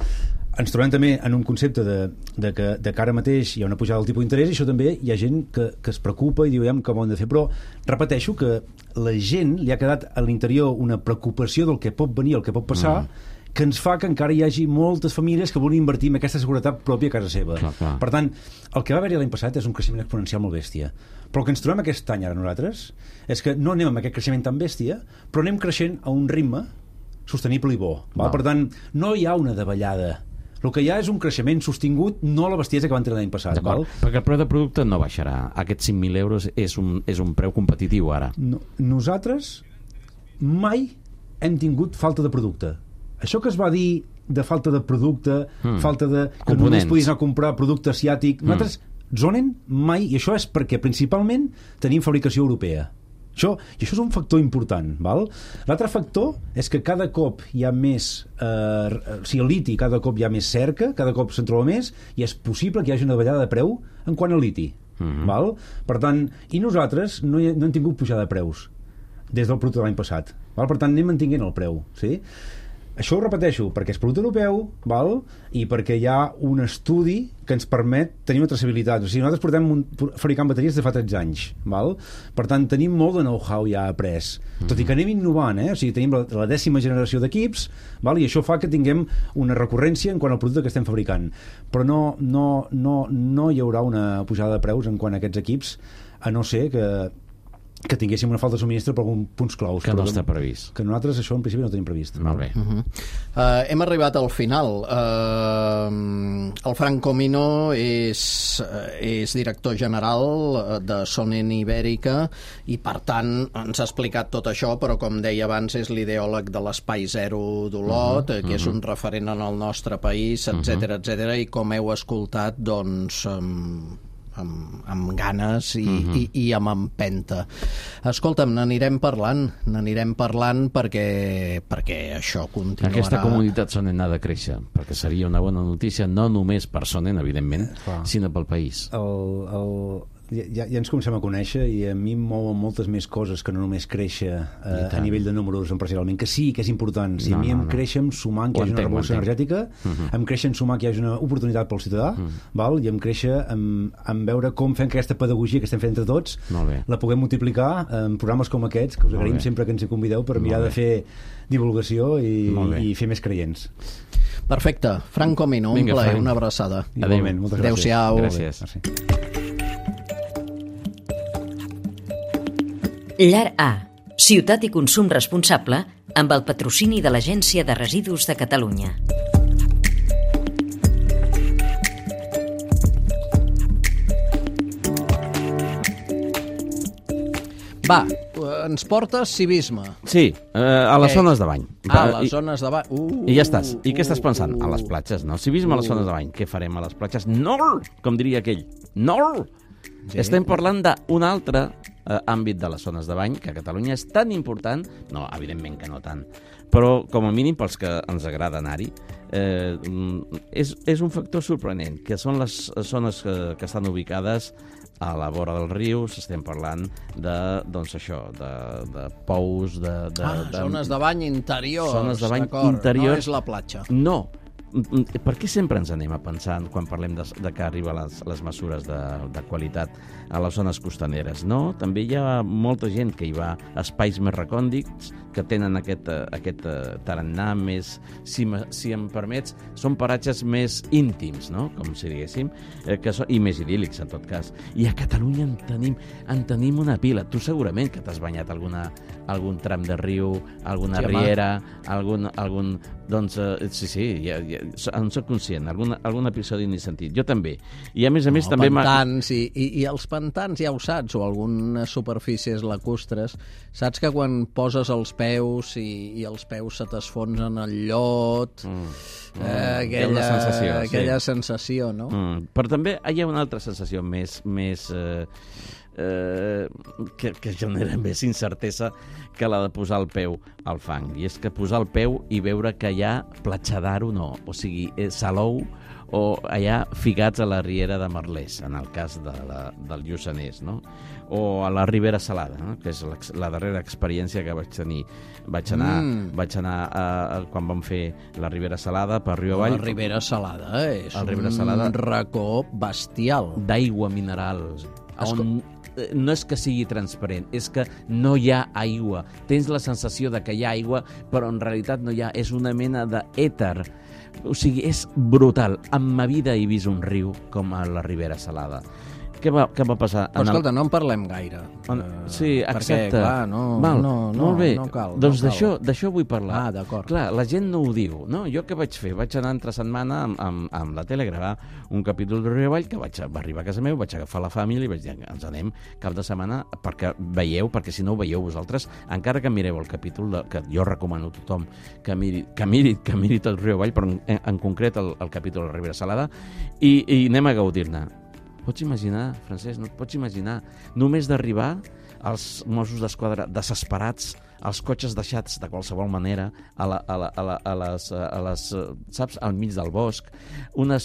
ens trobem també en un concepte de que ara mateix hi ha una pujada del tipus d'interès i això també hi ha gent que es preocupa i diu, com ho hem de fer, però repeteixo que la gent li ha quedat a l'interior una preocupació del que pot venir, el que pot passar, que ens fa que encara hi hagi moltes famílies que volen invertir en aquesta seguretat pròpia a casa seva. Clar. Per tant, el que va haver-hi l'any passat és un creixement exponencial molt bèstia. Però el que ens trobem aquest any ara nosaltres és que no anem amb aquest creixement tan bèstia, però anem creixent a un ritme sostenible i bo. Val? Per tant, no hi ha una davallada. El que hi ha és un creixement sostingut, no la bestiesa que van tenir l'any passat. Val? Perquè el preu de producte no baixarà. Aquests 5.000 euros és un preu competitiu ara. Nosaltres mai hem tingut falta de producte. Això que es va dir de falta de producte, falta de... que només podies anar a comprar producte asiàtic... Nosaltres, Zonen, mai... I això és perquè principalment tenim fabricació europea. I això és un factor important. Val? L'altre factor és que cada cop hi ha més o sigui, el liti cada cop hi ha més cerca, cada cop se'n troba més i és possible que hi hagi una davallada de preu en quant al liti. Val? Per tant, i nosaltres no hem tingut pujada de preus des del producte de l'any passat. Val? Per tant, anem mantinguent el preu. Sí? Això ho repeteixo, perquè és producte europeu, val? I perquè hi ha un estudi que ens permet tenir una traçabilitat. O sigui, nosaltres portem fabricant bateries de fa 13 anys. Val? Per tant, tenim molt de know-how ja après. Tot i que anem innovant, o sigui, tenim la 10ª generació d'equips, val? I això fa que tinguem una recurrència en quant al producte que estem fabricant. Però no hi haurà una pujada de preus en quant a aquests equips, a no ser que tinguéssim una falta de subministre per alguns punts claus. Que no està previst. Que nosaltres això en principi no tenim previst. Molt bé. Hem arribat al final. El Frank Comino és director general de Zonen Ibèrica i per tant ens ha explicat tot això, però com deia abans és l'ideòleg de l'Espai Zero d'Olot, que és un referent en el nostre país, etc i com heu escoltat, doncs amb ganes i amb empenta. Escolta'm, n'anirem parlant perquè això continuarà. Aquesta comunitat Zonen ha de créixer, perquè seria una bona notícia no només per Zonen, evidentment, sinó pel país. Ja ens comencem a conèixer i a mi em mouen moltes més coses que no només créixer a nivell de números empresarialment, que sí, que és important. Si a mi em creix sumant que hi hagi una revolució energètica, em creix sumar que hi hagi una oportunitat pel ciutadà, val? I em creix en veure com fem que aquesta pedagogia que estem fent entre tots la puguem multiplicar en programes com aquests, que us agraïm sempre que ens hi convideu per mirar de fer divulgació i fer més creients. Perfecte. Frank Comino, un plaer, una abraçada. Igualment, moltes gràcies. Adéu-siau. Gràcies. Llar A, ciutat i consum responsable, amb el patrocini de l'Agència de Residus de Catalunya. Va, ens portes civisme. Sí, a les zones de bany. A les zones de bany. I ja estàs. I què estàs pensant? A les platges, no? Civisme a les zones de bany. Què farem a les platges? No! Com diria aquell. No! Sí. Estem parlant d'un altre àmbit de les zones de bany, que a Catalunya és tan important, no, evidentment que no tant, però com a mínim pels que ens agrada anar-hi, és un factor sorprenent, que són les zones que estan ubicades a la vora dels rius. Estem parlant de, doncs això, de pous, zones de bany interiors. Zones de bany interiors. interiors. No és la platja. No, per què sempre ens anem a pensar, quan parlem de que arriben les mesures de qualitat a les zones costaneres? No, també hi ha molta gent que hi va a espais més recòndits, que tenen aquest tarannà més, si em permets, són paratges més íntims, no? Com si diguéssim, i més idíl·lics, en tot cas. I a Catalunya en tenim una pila. Tu segurament que t'has banyat algun tram de riu, alguna riera, algun doncs, sí, en soc conscient, algun episodi ni sentit. Jo també. I a més també... Pantans, i els pantans ja ho saps, o algunes superfícies lacustres, saps que quan poses els peus i els peus se t'esfonsen al llot, aquella sensació, no? Però també hi ha una altra sensació més que genera més incertesa que la de posar el peu al fang. I és que posar el peu i veure que hi ha platja d'aro no, o sigui, salou o allà ficats a la riera de Merlès, en el cas del Lluçanès, no? O a la Ribera Salada, no? Que és la darrera experiència que vaig tenir. Vaig anar quan vam fer la Ribera Salada per Riu Avall. La Ribera Salada és un racó bestial. D'aigua mineral, on no és que sigui transparent, és que no hi ha aigua. Tens la sensació de que hi ha aigua, però en realitat no hi ha. És una mena d'èter. O sigui, és brutal. En ma vida he vist un riu com a la Ribera Salada. Què va passar? Però escolta, no en parlem gaire. Sí, exacte. Perquè, clar, molt bé. No cal. Doncs d'això vull parlar. D'acord. Clar, la gent no ho diu, no? Jo què vaig fer? Vaig anar entre setmana amb la tele a gravar un capítol de Riu Avall que va arribar a casa meu, vaig agafar la família i vaig dir, ens anem cap de setmana perquè si no ho veieu vosaltres, encara que mireu el capítol, que jo recomano a tothom que miri tot Riu Avall, però en concret el capítol de la Ribera Salada, i anem a gaudir-ne. Pots imaginar, Francesc, no et pots imaginar, només d'arribar els Mossos d'Esquadra desesperats, els cotxes deixats de qualsevol manera a les saps, al mig del bosc, una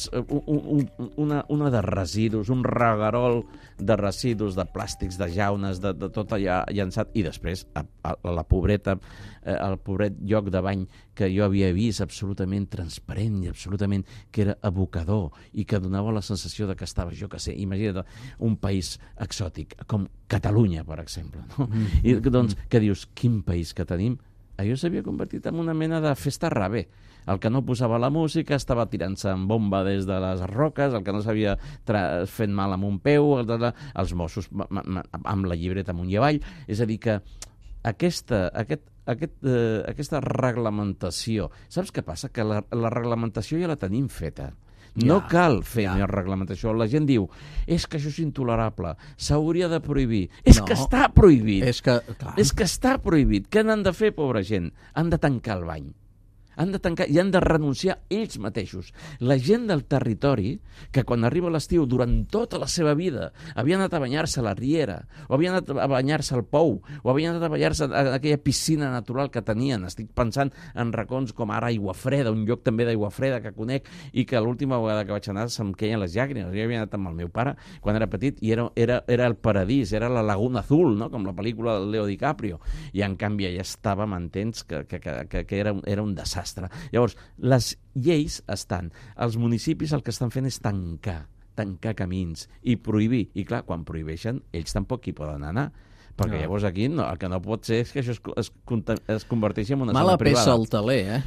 de residus, un reguerol de residus, de plàstics, de jaunes, de tot allà llançat, i després la pobreta, el pobret lloc de bany que jo havia vist absolutament transparent i absolutament que era abocador i que donava la sensació de que estava, jo que sé, imagina't, un país exòtic, com Catalunya, per exemple, no? I doncs, que dius, quin país que tenim? Allò s'havia convertit en una mena de festa rave. El que no posava la música estava tirant-se en bomba des de les roques, el que no s'havia fet mal amb un peu, els Mossos amb la llibreta amunt i avall. És a dir, que aquesta reglamentació... Saps què passa? Que la reglamentació ja la tenim feta. No cal fer més reglamentació. La gent diu, és que això és intolerable, s'hauria de prohibir. És que està prohibit. És que està prohibit. Què n'han de fer, pobra gent? Han de tancar el bany. Han de tancar i han de renunciar ells mateixos. La gent del territori, que quan arriba l'estiu, durant tota la seva vida, havia anat a banyar-se a la riera, o havia anat a banyar-se al pou, o havia anat a banyar-se a aquella piscina natural que tenien. Estic pensant en racons com ara Aiguafreda, un lloc també d'Aiguafreda que conec, i que l'última vegada que vaig anar se'm queien les llàgrimes. Jo havia anat amb el meu pare quan era petit i era el paradís, era la Laguna Azul, no? Com la pel·lícula del Leo DiCaprio. I en canvi allà estava, m'entens, que era un desastre. Llavors, les lleis estan. Els municipis el que estan fent és tancar camins i prohibir. I clar, quan prohibeixen, ells tampoc hi poden anar. Perquè llavors aquí el que no pot ser és que això es converteixi en una zona privada. Mala peça al taler,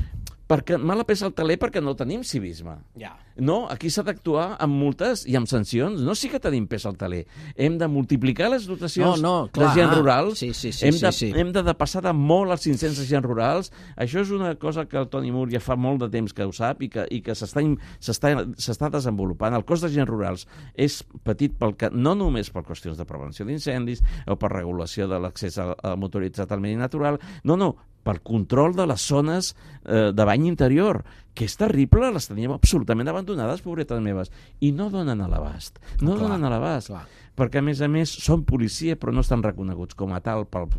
Mala peça al taler perquè no tenim civisme. Ja. No, aquí s'ha d'actuar amb multes i amb sancions. No, sí que tenim peça al taler. Hem de multiplicar les dotacions de gent rurals. Hem de passar de molt als 500 agents rurals. Això és una cosa que el Toni Mur ja fa molt de temps que ho sap i que s'està desenvolupant. El cos d'agents rurals és petit no només per qüestions de prevenció d'incendis o per regulació de l'accés motoritzat al medi natural, no, pel control de les zones de bany interior, que és terrible, les teníem absolutament abandonades, pobretes meves, i no donen a l'abast. Perquè, a més, són policia, però no estan reconeguts com a tal pels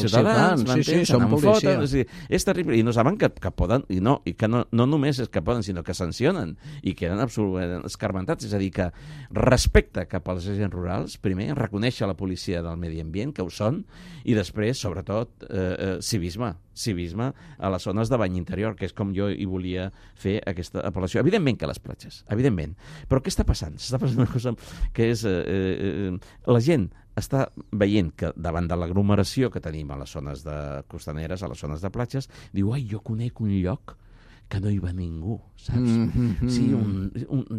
ciutadans. Sí, són policia. És terrible, i no saben que poden, i que no només és que poden, sinó que sancionen, i queden absolutament escarmentats. És a dir, que respecte cap als agents rurals, primer, reconèixer la policia del medi ambient, que ho són, i després sobretot, civisme a les zones de bany interior, que és com jo hi volia fer aquesta apel·lació. Evidentment que les platges, evidentment. Però què està passant? Està passant una cosa que és... la gent està veient que davant de l'aglomeració que tenim a les zones costaneres, a les zones de platges, diu, ai, jo conec un lloc que no hi va ningú, saps? Sí,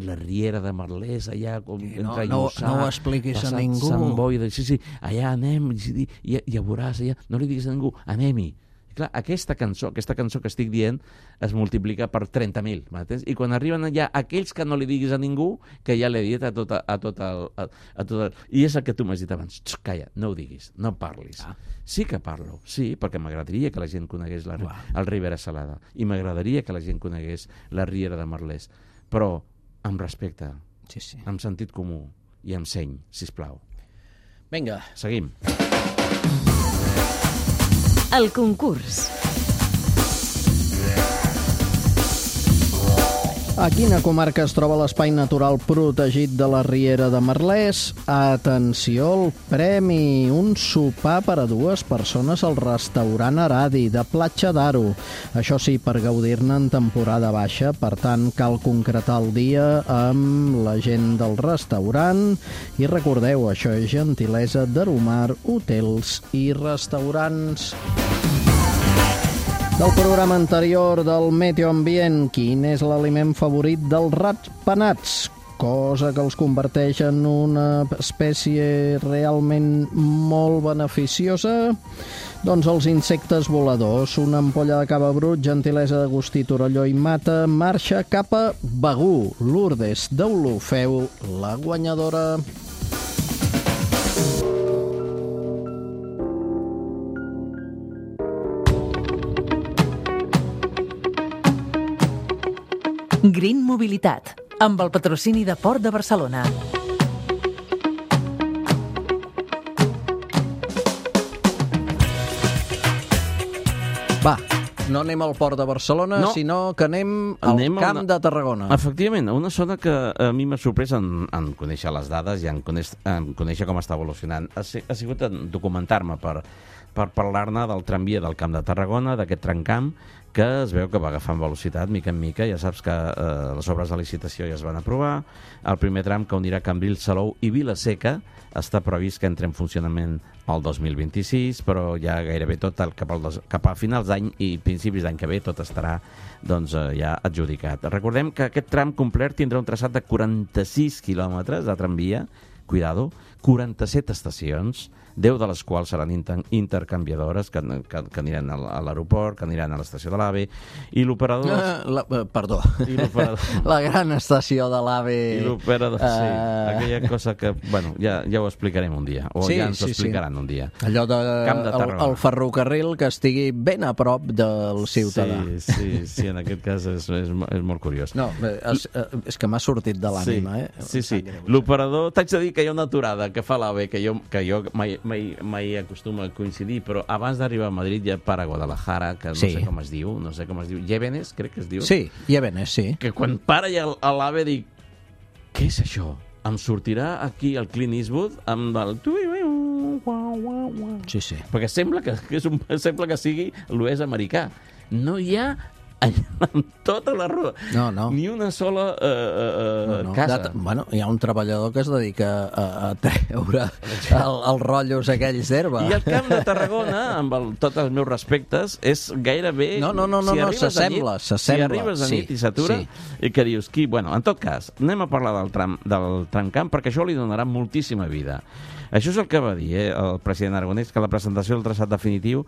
la riera de Merlès, allà... No ho expliquis a ningú. Sant Boi, sí, allà anem, i ja veuràs, allà, no li diguis a ningú, anem-hi. Clar, aquesta cançó que estic dient es multiplica per 30.000, m'entens? I quan arriben allà aquells que no li diguis a ningú, que ja l'he dit a tot el... I és el que tu m'has dit abans. Calla, no ho diguis, no parlis. Sí que parlo, sí, perquè m'agradaria que la gent conegués el Ribera Salada i m'agradaria que la gent conegués la Riera de Merlès, però amb respecte, amb sentit comú i amb seny, sisplau. Vinga. Seguim. El concurs. A quina comarca es troba l'espai natural protegit de la Riera de Merlès? Atenció al premi! Un sopar per a 2 persones al restaurant Aradi, de Platja d'Aro. Això sí, per gaudir-ne en temporada baixa, per tant, cal concretar el dia amb la gent del restaurant. I recordeu, això és gentilesa d'Aromar Hotels i Restaurants. Del programa anterior del Meteo Ambient, quin és l'aliment favorit dels ratpenats? Cosa que els converteix en una espècie realment molt beneficiosa? Doncs els insectes voladors. Una ampolla de cava brut, gentilesa d'Agustí Torelló i Mata, marxa cap a Begur. Lourdes d'Olofeu, la guanyadora. Green Mobilitat, amb el patrocini de Port de Barcelona. Va, no anem al Port de Barcelona, sinó que anem al Camp de Tarragona. Efectivament, a una zona que a mi m'ha sorprès en conèixer les dades i en conèixer com està evolucionant. Ha sigut en documentar-me per parlar-ne del tramvia del Camp de Tarragona, d'aquest tramcamp, que es veu que va agafant velocitat mica en mica. Ja saps que les obres de licitació ja es van aprovar. El primer tram que unirà Cambrils, Salou i Vila-seca està previst que entre en funcionament el 2026, però ja gairebé tot cap a finals d'any i principis d'any que ve tot estarà ja adjudicat. Recordem que aquest tram complet tindrà un traçat de 46 quilòmetres de tramvia, cuidado, 47 estacions, 10 de les quals seran intercanviadores que aniran a l'aeroport, que aniran a l'estació de l'AVE, i l'operador... Perdó, la gran estació de l'AVE... I l'operador, sí, aquella cosa que, bueno, ja ho explicarem un dia, o ja ens ho explicaran un dia. Allò del ferrocarril que estigui ben a prop del ciutadà. Sí, en aquest cas és molt curiós. No, és que m'ha sortit de l'ànima, Sí. L'operador, t'haig de dir que hi ha una aturada que fa l'AVE, que jo mai acostuma a coincidir, però abans d'arribar a Madrid ja para a Guadalajara, que no sé com es diu, Llévenes, crec que es diu. Sí, Llévenes, sí. Que quan para ja a l'AVE dic, què és això? Em sortirà aquí el Clint Eastwood amb el... Sí. Perquè sembla que sigui l'oest americà. No hi ha amb tota la roda. No. Ni una sola casa. Bueno, hi ha un treballador que es dedica a treure els rotllos aquells d'herba. I el Camp de Tarragona, amb tots els meus respectes, és gairebé... No, s'assembla. Si arribes a nit i s'atura, i que dius, bueno, en tot cas, anem a parlar del tramcamp, perquè això li donarà moltíssima vida. Això és el que va dir el president Aragonès, que a la presentació del traçat definitiu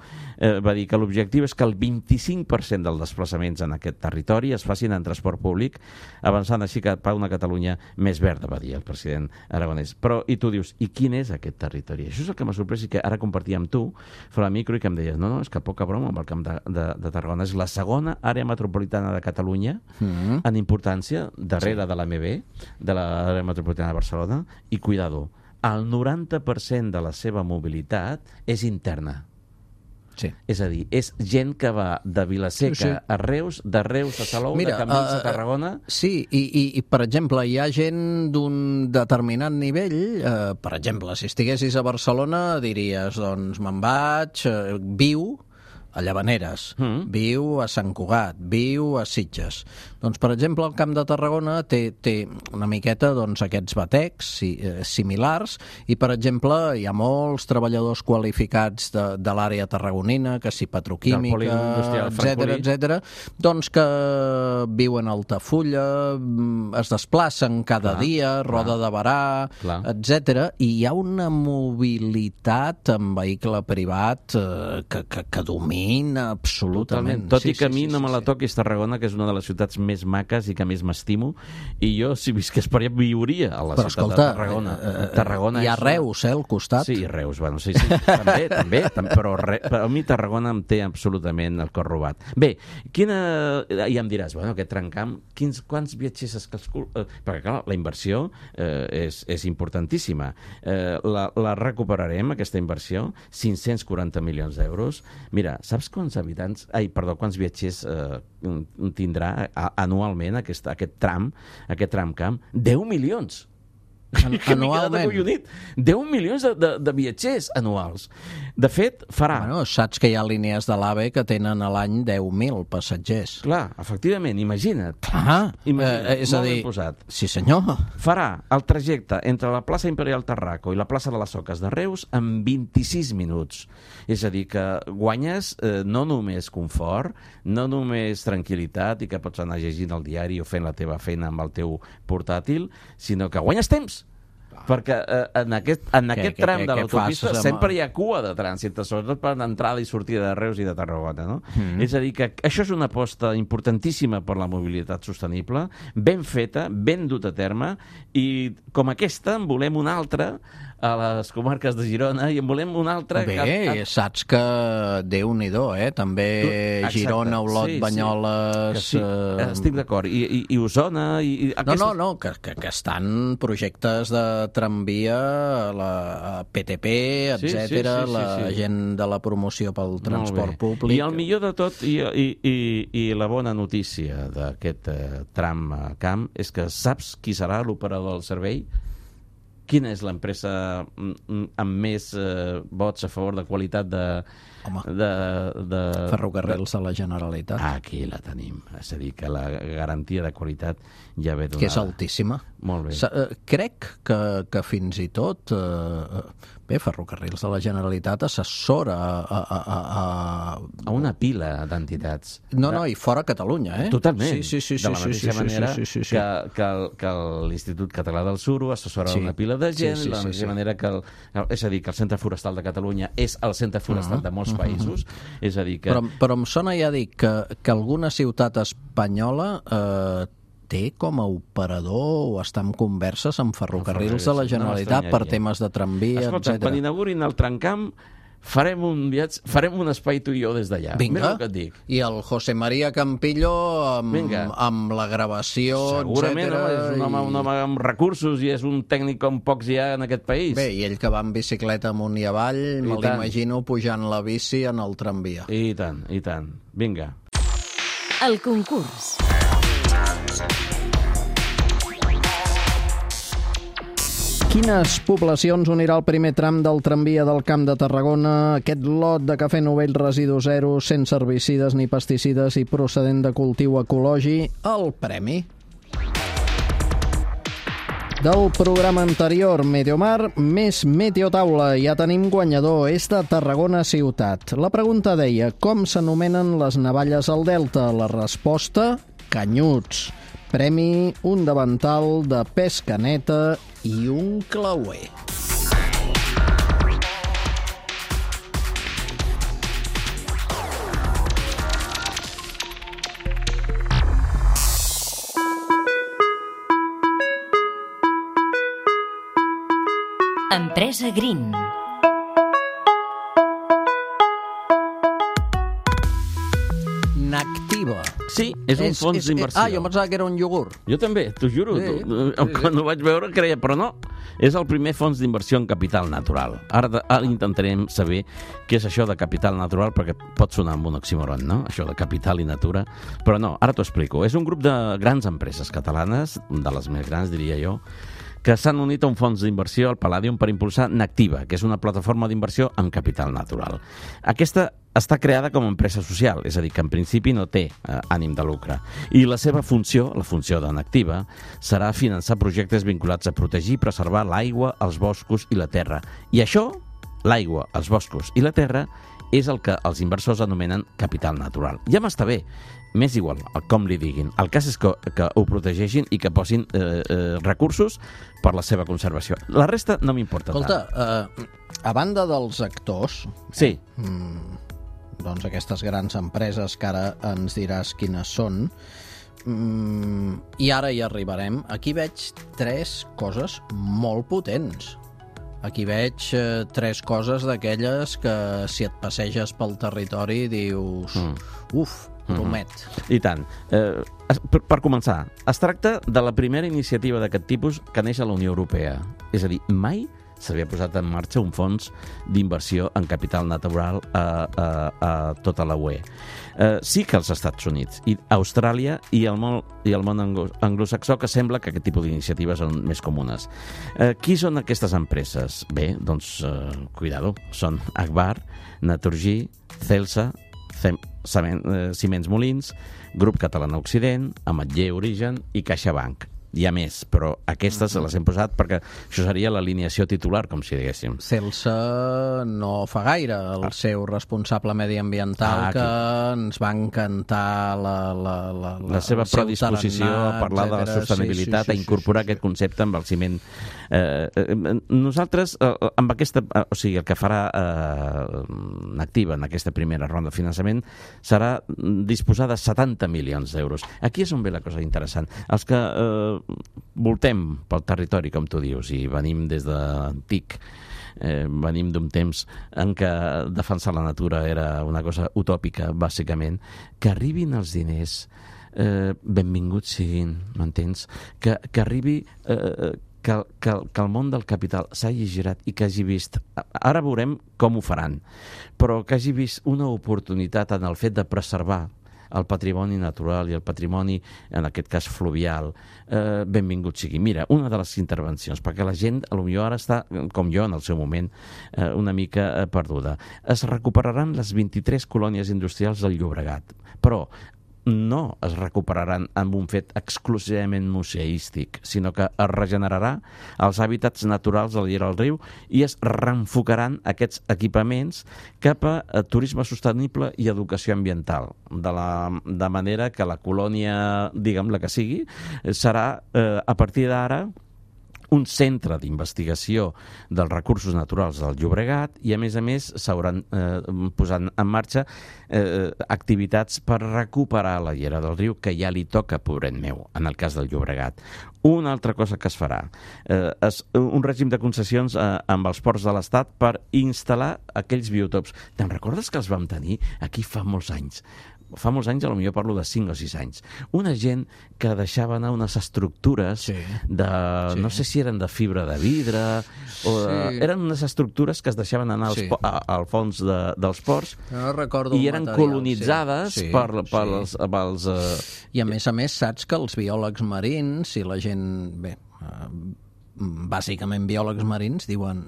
va dir que l'objectiu és que el 25% dels desplaçaments en aquest territori es facin en transport públic, avançant així cap a una Catalunya més verda, va dir el president Aragonès. Però, i tu dius, i quin és aquest territori? Això és el que m'ha sorprès i que ara compartia amb tu, fora micro, i que em deies, no, és que poca broma amb el Camp de Tarragona. És la segona àrea metropolitana de Catalunya en importància, darrere de l'AMB, de l'àrea metropolitana de Barcelona, i cuidado, el 90% de la seva mobilitat és interna. Sí. És a dir, és gent que va de Vilaseca a Reus, de Reus a Salou, de Cambrils a Tarragona... Sí, i per exemple, hi ha gent d'un determinat nivell, per exemple, si estiguessis a Barcelona diries, doncs me'n vaig, viu a Llavaneres, viu a Sant Cugat, viu a Sitges. Doncs, per exemple, el Camp de Tarragona té una miqueta aquests batecs similars i, per exemple, hi ha molts treballadors qualificats de l'àrea tarragonina, que si petroquímica, etc., doncs que viuen a Altafulla, es desplacen cada dia, Roda de Barà, etc., i hi ha una mobilitat en vehicle privat que domina absolutament. Tot i que a mi no me la toquis Tarragona, que és una de les ciutats més maques i que més m'estimo, i jo, si visqués per allà, viuria a la ciutat de Tarragona. Tarragona hi ha Reus, al costat. Sí, Reus, bueno, sí, també, però a mi Tarragona em té absolutament el cor robat. Bé, i em diràs, bueno, aquest tramcamp, quants viatgers es calcula? Perquè, clar, la inversió és importantíssima. La recuperarem, aquesta inversió, 540 milions d'euros. Mira, saps quants viatgers tindrà anualment aquest tramcamp? 10 milions! Anualment. 10 milions de viatgers anuals. De fet, farà... Bueno, saps que hi ha línies de l'AVE que tenen a l'any 10.000 passatgers. Clar, efectivament, imagina't. És a dir... Sí, senyor. Farà el trajecte entre la plaça Imperial Tarraco i la plaça de les Soques de Reus en 26 minuts. És a dir, que guanyes no només confort, no només tranquil·litat i que pots anar llegint el diari o fent la teva feina amb el teu portàtil, sinó que guanyes temps. Perquè en aquest tram de l'autopista sempre hi ha cua de trànsit, sobretot per l'entrada i sortida de Reus i de Tarragona, no? És a dir, que això és una aposta importantíssima per la mobilitat sostenible, ben feta, ben dut a terme, i com aquesta en volem una altra a les comarques de Girona i en volem una altra... Bé, saps que Déu-n'hi-do, també Girona, Olot, Banyoles... Sí, estic d'acord. I Osona... No, que estan projectes de tramvia, la PTP, etc., la gent de la promoció pel transport públic... I el millor de tot, i la bona notícia d'aquest tramcamp, és que saps qui serà l'operador del servei? Quina és l'empresa amb més vots a favor de qualitat de Ferrocarrils de la Generalitat. Aquí la tenim. És a dir, que la garantia de qualitat ja ve donada. Que és altíssima. Molt bé. Crec que fins i tot... Bé, Ferrocarrils de la Generalitat assessora a una pila d'entitats. No, i fora Catalunya, Totalment. Sí. De la mateixa manera que l'Institut Català del Suro assessora una pila de gent, de la mateixa manera que és a dir, que el Centre Forestal de Catalunya és el Centre Forestal de molts països. És a dir que... Però em sona ja dir que alguna ciutat espanyola té com a operador o està en converses amb Ferrocarrils de la Generalitat per temes de tramvia, etc. Escolta, quan inaugurin el tramcamp farem un viatge, farem un espai tu i jo des d'allà. Vinga, que et dic. I el José María Campillo amb la gravació, segurament, és un home amb recursos i és un tècnic com pocs hi ha en aquest país. Bé, i ell que va en bicicleta amunt i avall, me l'imagino pujant la bici en el tramvia. I tant. Vinga. El concurs. Quines poblacions unirà el primer tram del tramvia del Camp de Tarragona? Aquest lot de cafè novell residu zero, sense herbicides ni pesticides i procedent de cultiu ecològic, el premi. Del programa anterior, Meteomar, més Meteotaula. Ja tenim guanyador, és de Tarragona ciutat. La pregunta deia, com s'anomenen les navalles al Delta? La resposta, canyuts. Premi, un davantal de pesca neta i un clauer. Empresa Green. Nactiva. Sí, és un fons d'inversió. Jo pensava que era un iogurt. Jo també, t'ho juro. Quan ho vaig veure creia, però no. És el primer fons d'inversió en capital natural. Ara intentarem saber què és això de capital natural, perquè pot sonar amb un oxímoron, no? Això de capital i natura. Però no, ara t'ho explico. És un grup de grans empreses catalanes, de les més grans, diria jo, que s'han unit a un fons d'inversió al Palladium per impulsar Nactiva, que és una plataforma d'inversió en capital natural. Aquesta està creada com a empresa social, és a dir, que en principi no té ànim de lucre. I la seva funció, la funció de Nactiva, serà finançar projectes vinculats a protegir i preservar l'aigua, els boscos i la terra. I això, l'aigua, els boscos i la terra, és el que els inversors anomenen capital natural. Ja m'està bé, m'és igual com li diguin. El cas és que ho protegeixin i que posin recursos per la seva conservació. La resta no m'importa tant. Escolta, a banda dels actors... Sí. Doncs aquestes grans empreses que ara ens diràs quines són, i ara hi arribarem. Aquí veig 3 coses molt potents. Aquí veig 3 coses d'aquelles que si et passeges pel territori dius promet. I tant. Per començar, es tracta de la primera iniciativa d'aquest tipus que neix a la Unió Europea. És a dir, mai s'havia posat en marxa un fons d'inversió en capital natural a tota la UE. Sí que als Estats Units, i Austràlia i el món anglosaxó, que sembla que aquest tipus d'iniciatives són més comunes. Qui són aquestes empreses? Bé, doncs, cuidado, són Agbar, Naturgy, Celsa, Ciments Molins, Grup Catalana Occident, Ametller Origen i CaixaBank. Hi ha més, però aquestes les hem posat perquè això seria l'alineació titular, com si diguéssim. Celsa no fa gaire, el seu responsable mediambiental, que ens va encantar la seva predisposició a parlar de la sostenibilitat, a incorporar aquest concepte amb el ciment. Nosaltres, amb aquesta, o sigui, el que farà Nactiva en aquesta primera ronda de finançament serà disposar de 70 milions d'euros. Aquí és on ve la cosa interessant. Els que voltem pel territori, com tu dius, i venim des d'antic, venim d'un temps en què defensar la natura era una cosa utòpica, bàsicament, que arribin els diners, benvinguts siguin, m'entens? Que arribi... Que el món del capital s'hagi girat i que hagi vist... Ara veurem com ho faran, però que hagi vist una oportunitat en el fet de preservar el patrimoni natural i el patrimoni, en aquest cas fluvial, benvingut sigui. Mira, una de les intervencions, perquè la gent potser ara està, com jo en el seu moment, una mica perduda. Es recuperaran les 23 colònies industrials del Llobregat, però no es recuperaran amb un fet exclusivament museístic, sinó que es regenerarà els hàbitats naturals de la llera del riu i es reenfocaran aquests equipaments cap a turisme sostenible i educació ambiental, de manera que la colònia, diguem la que sigui, serà a partir d'ara un centre d'investigació dels recursos naturals del Llobregat i, a més, s'hauran posant en marxa activitats per recuperar la llera del riu, que ja li toca, pobret meu, en el cas del Llobregat. Una altra cosa que es farà és un règim de concessions amb els ports de l'Estat per instal·lar aquells biotops. Te'n recordes que els vam tenir aquí fa molts anys? Fa molts anys, potser parlo de 5 o 6 anys, una gent que deixava anar unes estructures no sé si eren de fibra de vidre o eren unes estructures que es deixaven anar al fons dels ports i eren colonitzades pels... I a més, saps que els biòlegs marins i la gent, bàsicament biòlegs marins, diuen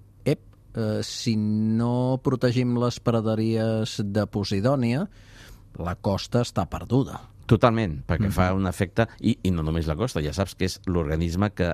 si no protegim les praderies de Posidònia, la costa està perduda. Totalment, perquè fa un efecte, i no només la costa, ja saps que és l'organisme que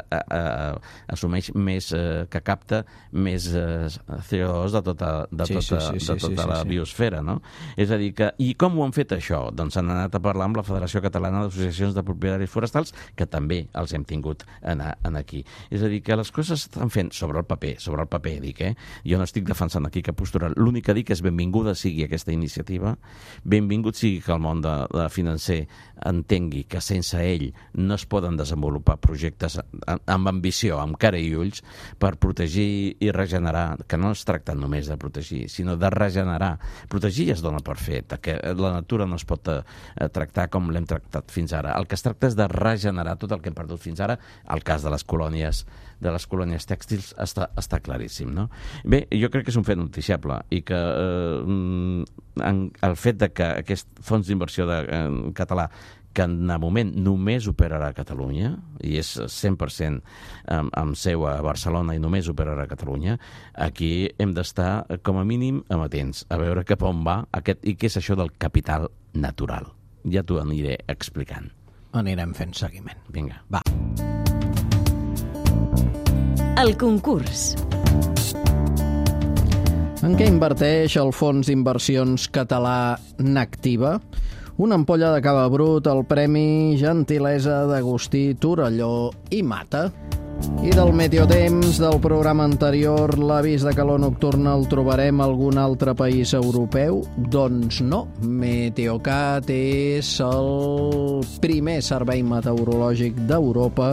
assumeix més, que capta més CO2 de tota la biosfera, no? És a dir que, i com ho han fet això? Doncs han anat a parlar amb la Federació Catalana d'Associacions de Propietaris Forestals, que també els hem tingut aquí. És a dir, que les coses estan fent sobre el paper, dic, jo no estic defensant aquí cap postura, l'únic que dic és benvinguda sigui aquesta iniciativa, benvingut sigui que el món financer l'ANC entengui que sense ell no es poden desenvolupar projectes amb ambició, amb cara i ulls, per protegir i regenerar, que no es tracta només de protegir, sinó de regenerar. Protegir ja es dona per fet, que la natura no es pot tractar com l'hem tractat fins ara. El que es tracta és de regenerar tot el que hem perdut fins ara. El cas de les colònies tèxtils està claríssim, no? Bé, jo crec que és un fet noticiable i que el fet de que aquest fons d'inversió català, que en el moment només operarà a Catalunya, i és 100% amb seu a Barcelona i només operarà a Catalunya, aquí hem d'estar com a mínim amatents a veure cap on va i què és això del capital natural. Ja t'ho aniré explicant. Anirem fent seguiment. Vinga. Va. El concurs. En què inverteix el fons d'inversions català Nactiva? Una ampolla de cava brut, el Premi Gentilesa d'Agustí Torelló i Mata. I del meteotemps del programa anterior, l'avís de calor nocturna el trobarem a algun altre país europeu? Doncs no. Meteocat és el primer servei meteorològic d'Europa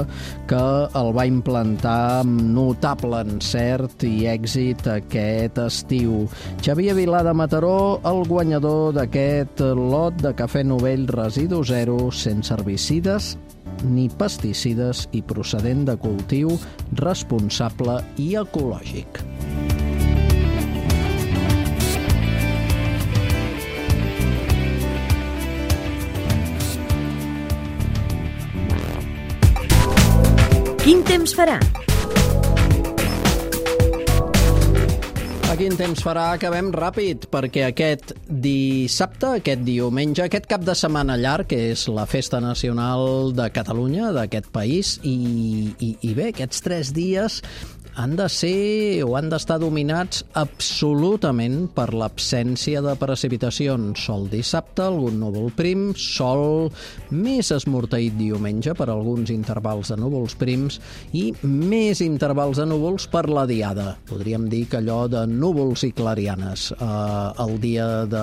que el va implantar amb notable encert i èxit aquest estiu. Xavier Vilà de Mataró, el guanyador d'aquest lot de cafè Novell residu zero, sense herbicides ni pesticides i procedent de cultiu responsable i ecològic. Quin temps farà? Quin temps farà? Acabem ràpid, perquè aquest dissabte, aquest diumenge, aquest cap de setmana llarg, que és la Festa Nacional de Catalunya, d'aquest país, i bé, aquests 3 dies han de ser o han d'estar dominats absolutament per l'absència de precipitacions. Sol dissabte, algun núvol prim, sol més esmorteït diumenge per alguns intervals de núvols prims i més intervals de núvols per la diada. Podríem dir que allò de núvols i clarianes el dia de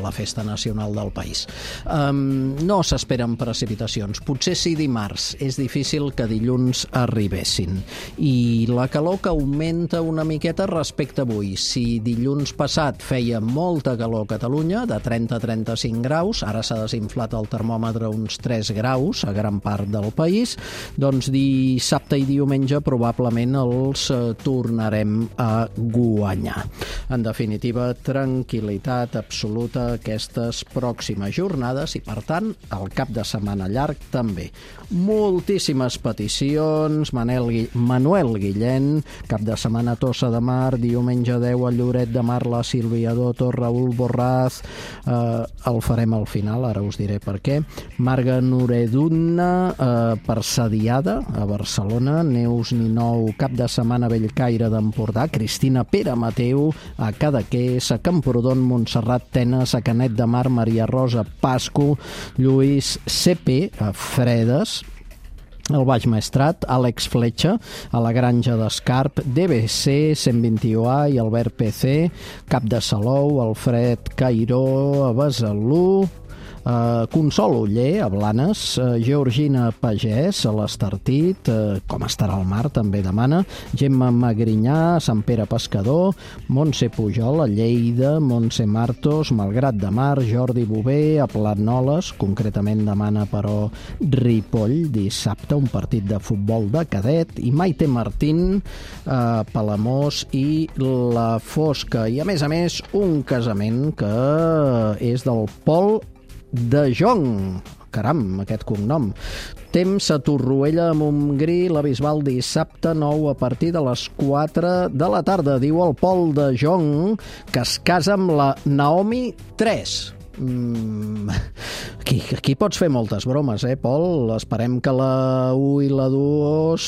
la Festa Nacional del país. No s'esperen precipitacions. Potser sí dimarts. És difícil que dilluns arribessin. I la calor que augmenta una miqueta respecte a avui. Si dilluns passat feia molta calor a Catalunya, de 30 a 35 graus, ara s'ha desinflat el termòmetre uns 3 graus a gran part del país, doncs dissabte i diumenge probablement els tornarem a guanyar. En definitiva, tranquil·litat absoluta aquestes pròximes jornades i, per tant, el cap de setmana llarg també. Moltíssimes peticions. Manuel Guillén, cap de setmana Tossa de Mar, diumenge 10 a Lloret de Mar, la Sílvia Doto, Raül Borraz, el farem al final, ara us diré per què. Marga Noreduna, per Sadiada, a Barcelona, Neus Ninou, cap de setmana Bellcaire d'Empordà, Cristina Pere Mateu, a Cadaqués, a Camprodon, Montserrat Tenes, a Canet de Mar, Maria Rosa Pasco, Lluís CP, a Fredes, el Baix Maestrat, Àlex Fletxa, a la Granja d'Escarp, DBC, 121A i Albert PC, Cap de Salou, Alfred Cairó, a Besalú, Consol Oller, a Blanes, Georgina Pagès, a l'Estartit, com estarà el mar, també demana, Gemma Magrinyà, a Sant Pere Pescador, Montse Pujol, a Lleida, Montse Martos, Malgrat de Mar, Jordi Bové, a Planoles, concretament demana però Ripoll, dissabte, un partit de futbol de cadet, i Maite Martín, a Palamós i la Fosca. I a més, un casament que és del Pol de Jong. Caram, aquest cognom. Temps a Torroella de Montgrí, la Bisbal dissabte 9 a partir de les 4 de la tarda. Diu el Pol de Jong que es casa amb la Naomi 3. Aquí pots fer moltes bromes, Pol? Esperem que la 1 i la 2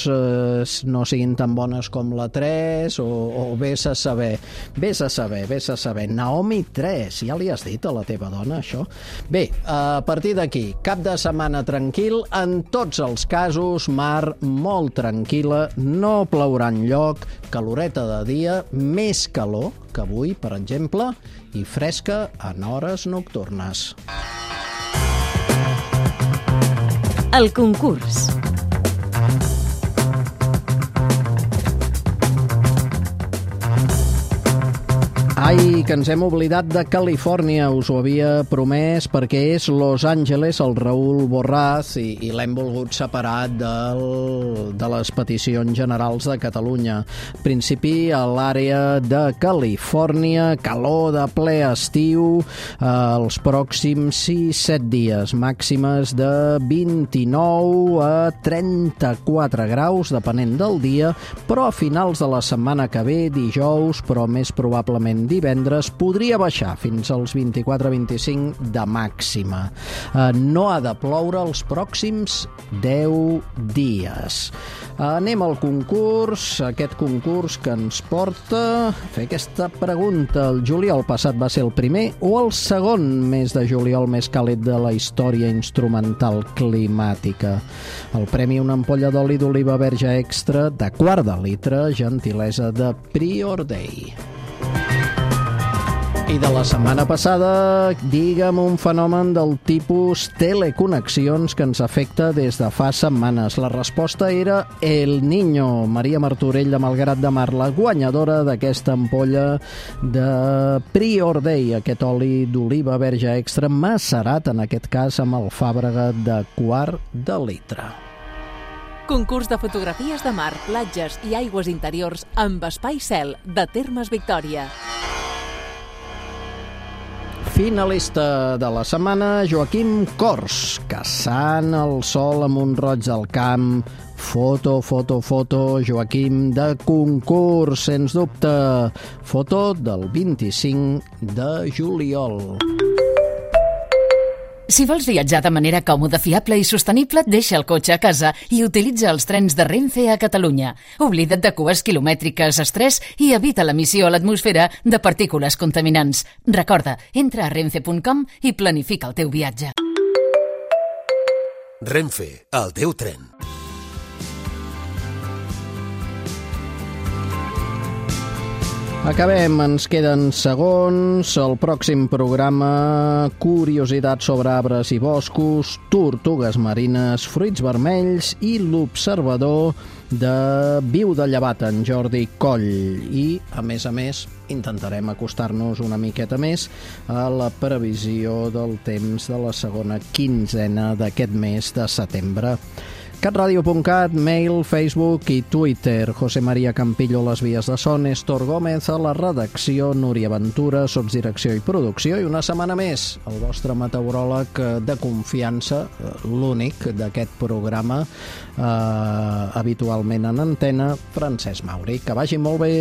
no siguin tan bones com la 3 o vés a saber. Vés a saber. Naomi 3, ja li has dit a la teva dona, això? Bé, a partir d'aquí, cap de setmana tranquil, en tots els casos, mar molt tranquil·la, no plourà enlloc, caloreta de dia, més calor que avui, per exemple, i fresca en hores nocturnes. El concurs. Ai, que ens hem oblidat de Califòrnia, us ho havia promès, perquè és Los Angeles, el Raül Borràs, i l'hem volgut separat de les peticions generals de Catalunya. En principi, a l'àrea de Califòrnia, calor de ple estiu, els pròxims 6-7 dies, màximes de 29 a 34 graus, depenent del dia, però a finals de la setmana que ve, dijous, però més probablement divendres, podria baixar fins als 24-25 de màxima. No ha de ploure els pròxims 10 dies. Anem al concurs, aquest concurs que ens porta a fer aquesta pregunta. El juliol passat va ser el primer o el segon mes de juliol més càlid de la història instrumental climàtica? El premi, una ampolla d'oli d'oliva verge extra de quart de litre, gentilesa de Prior Day. I de la setmana passada, digue'm un fenomen del tipus teleconnexions que ens afecta des de fa setmanes. La resposta era El Niño. Maria Martorell de Malgrat de Mar, la guanyadora d'aquesta ampolla de Prior Day, aquest oli d'oliva verge extra macerat, en aquest cas amb alfàbrega de quart de litre. Concurs de fotografies de mar, platges i aigües interiors amb espai cel de Termes Victòria. Finalista de la setmana, Joaquim Cors, caçant el sol amb un roig al camp. Foto, Joaquim, de concurs, sens dubte. Foto del 25 de juliol. Si vols viatjar de manera còmoda, fiable i sostenible, deixa el cotxe a casa i utilitza els trens de Renfe a Catalunya. Oblida't de cues quilomètriques, estrès i evita l'emissió a l'atmosfera de partícules contaminants. Recorda, entra a renfe.com i planifica el teu viatge. Renfe, el teu tren. Acabem, ens queden segons. El pròxim programa, curiositats sobre arbres i boscos, tortugues marines, fruits vermells i l'observador de Viu de Llevat, en Jordi Coll. I, a més, intentarem acostar-nos una miqueta més a la previsió del temps de la segona quinzena d'aquest mes de setembre. catradio.cat, mail, Facebook i Twitter. José María Campillo, les vies de so, Néstor Gómez a la redacció, Núria Ventura, sotsdirecció i producció, i una setmana més el vostre meteoròleg de confiança, l'únic d'aquest programa, habitualment en antena, Francesc Mauri. Que vagi molt bé.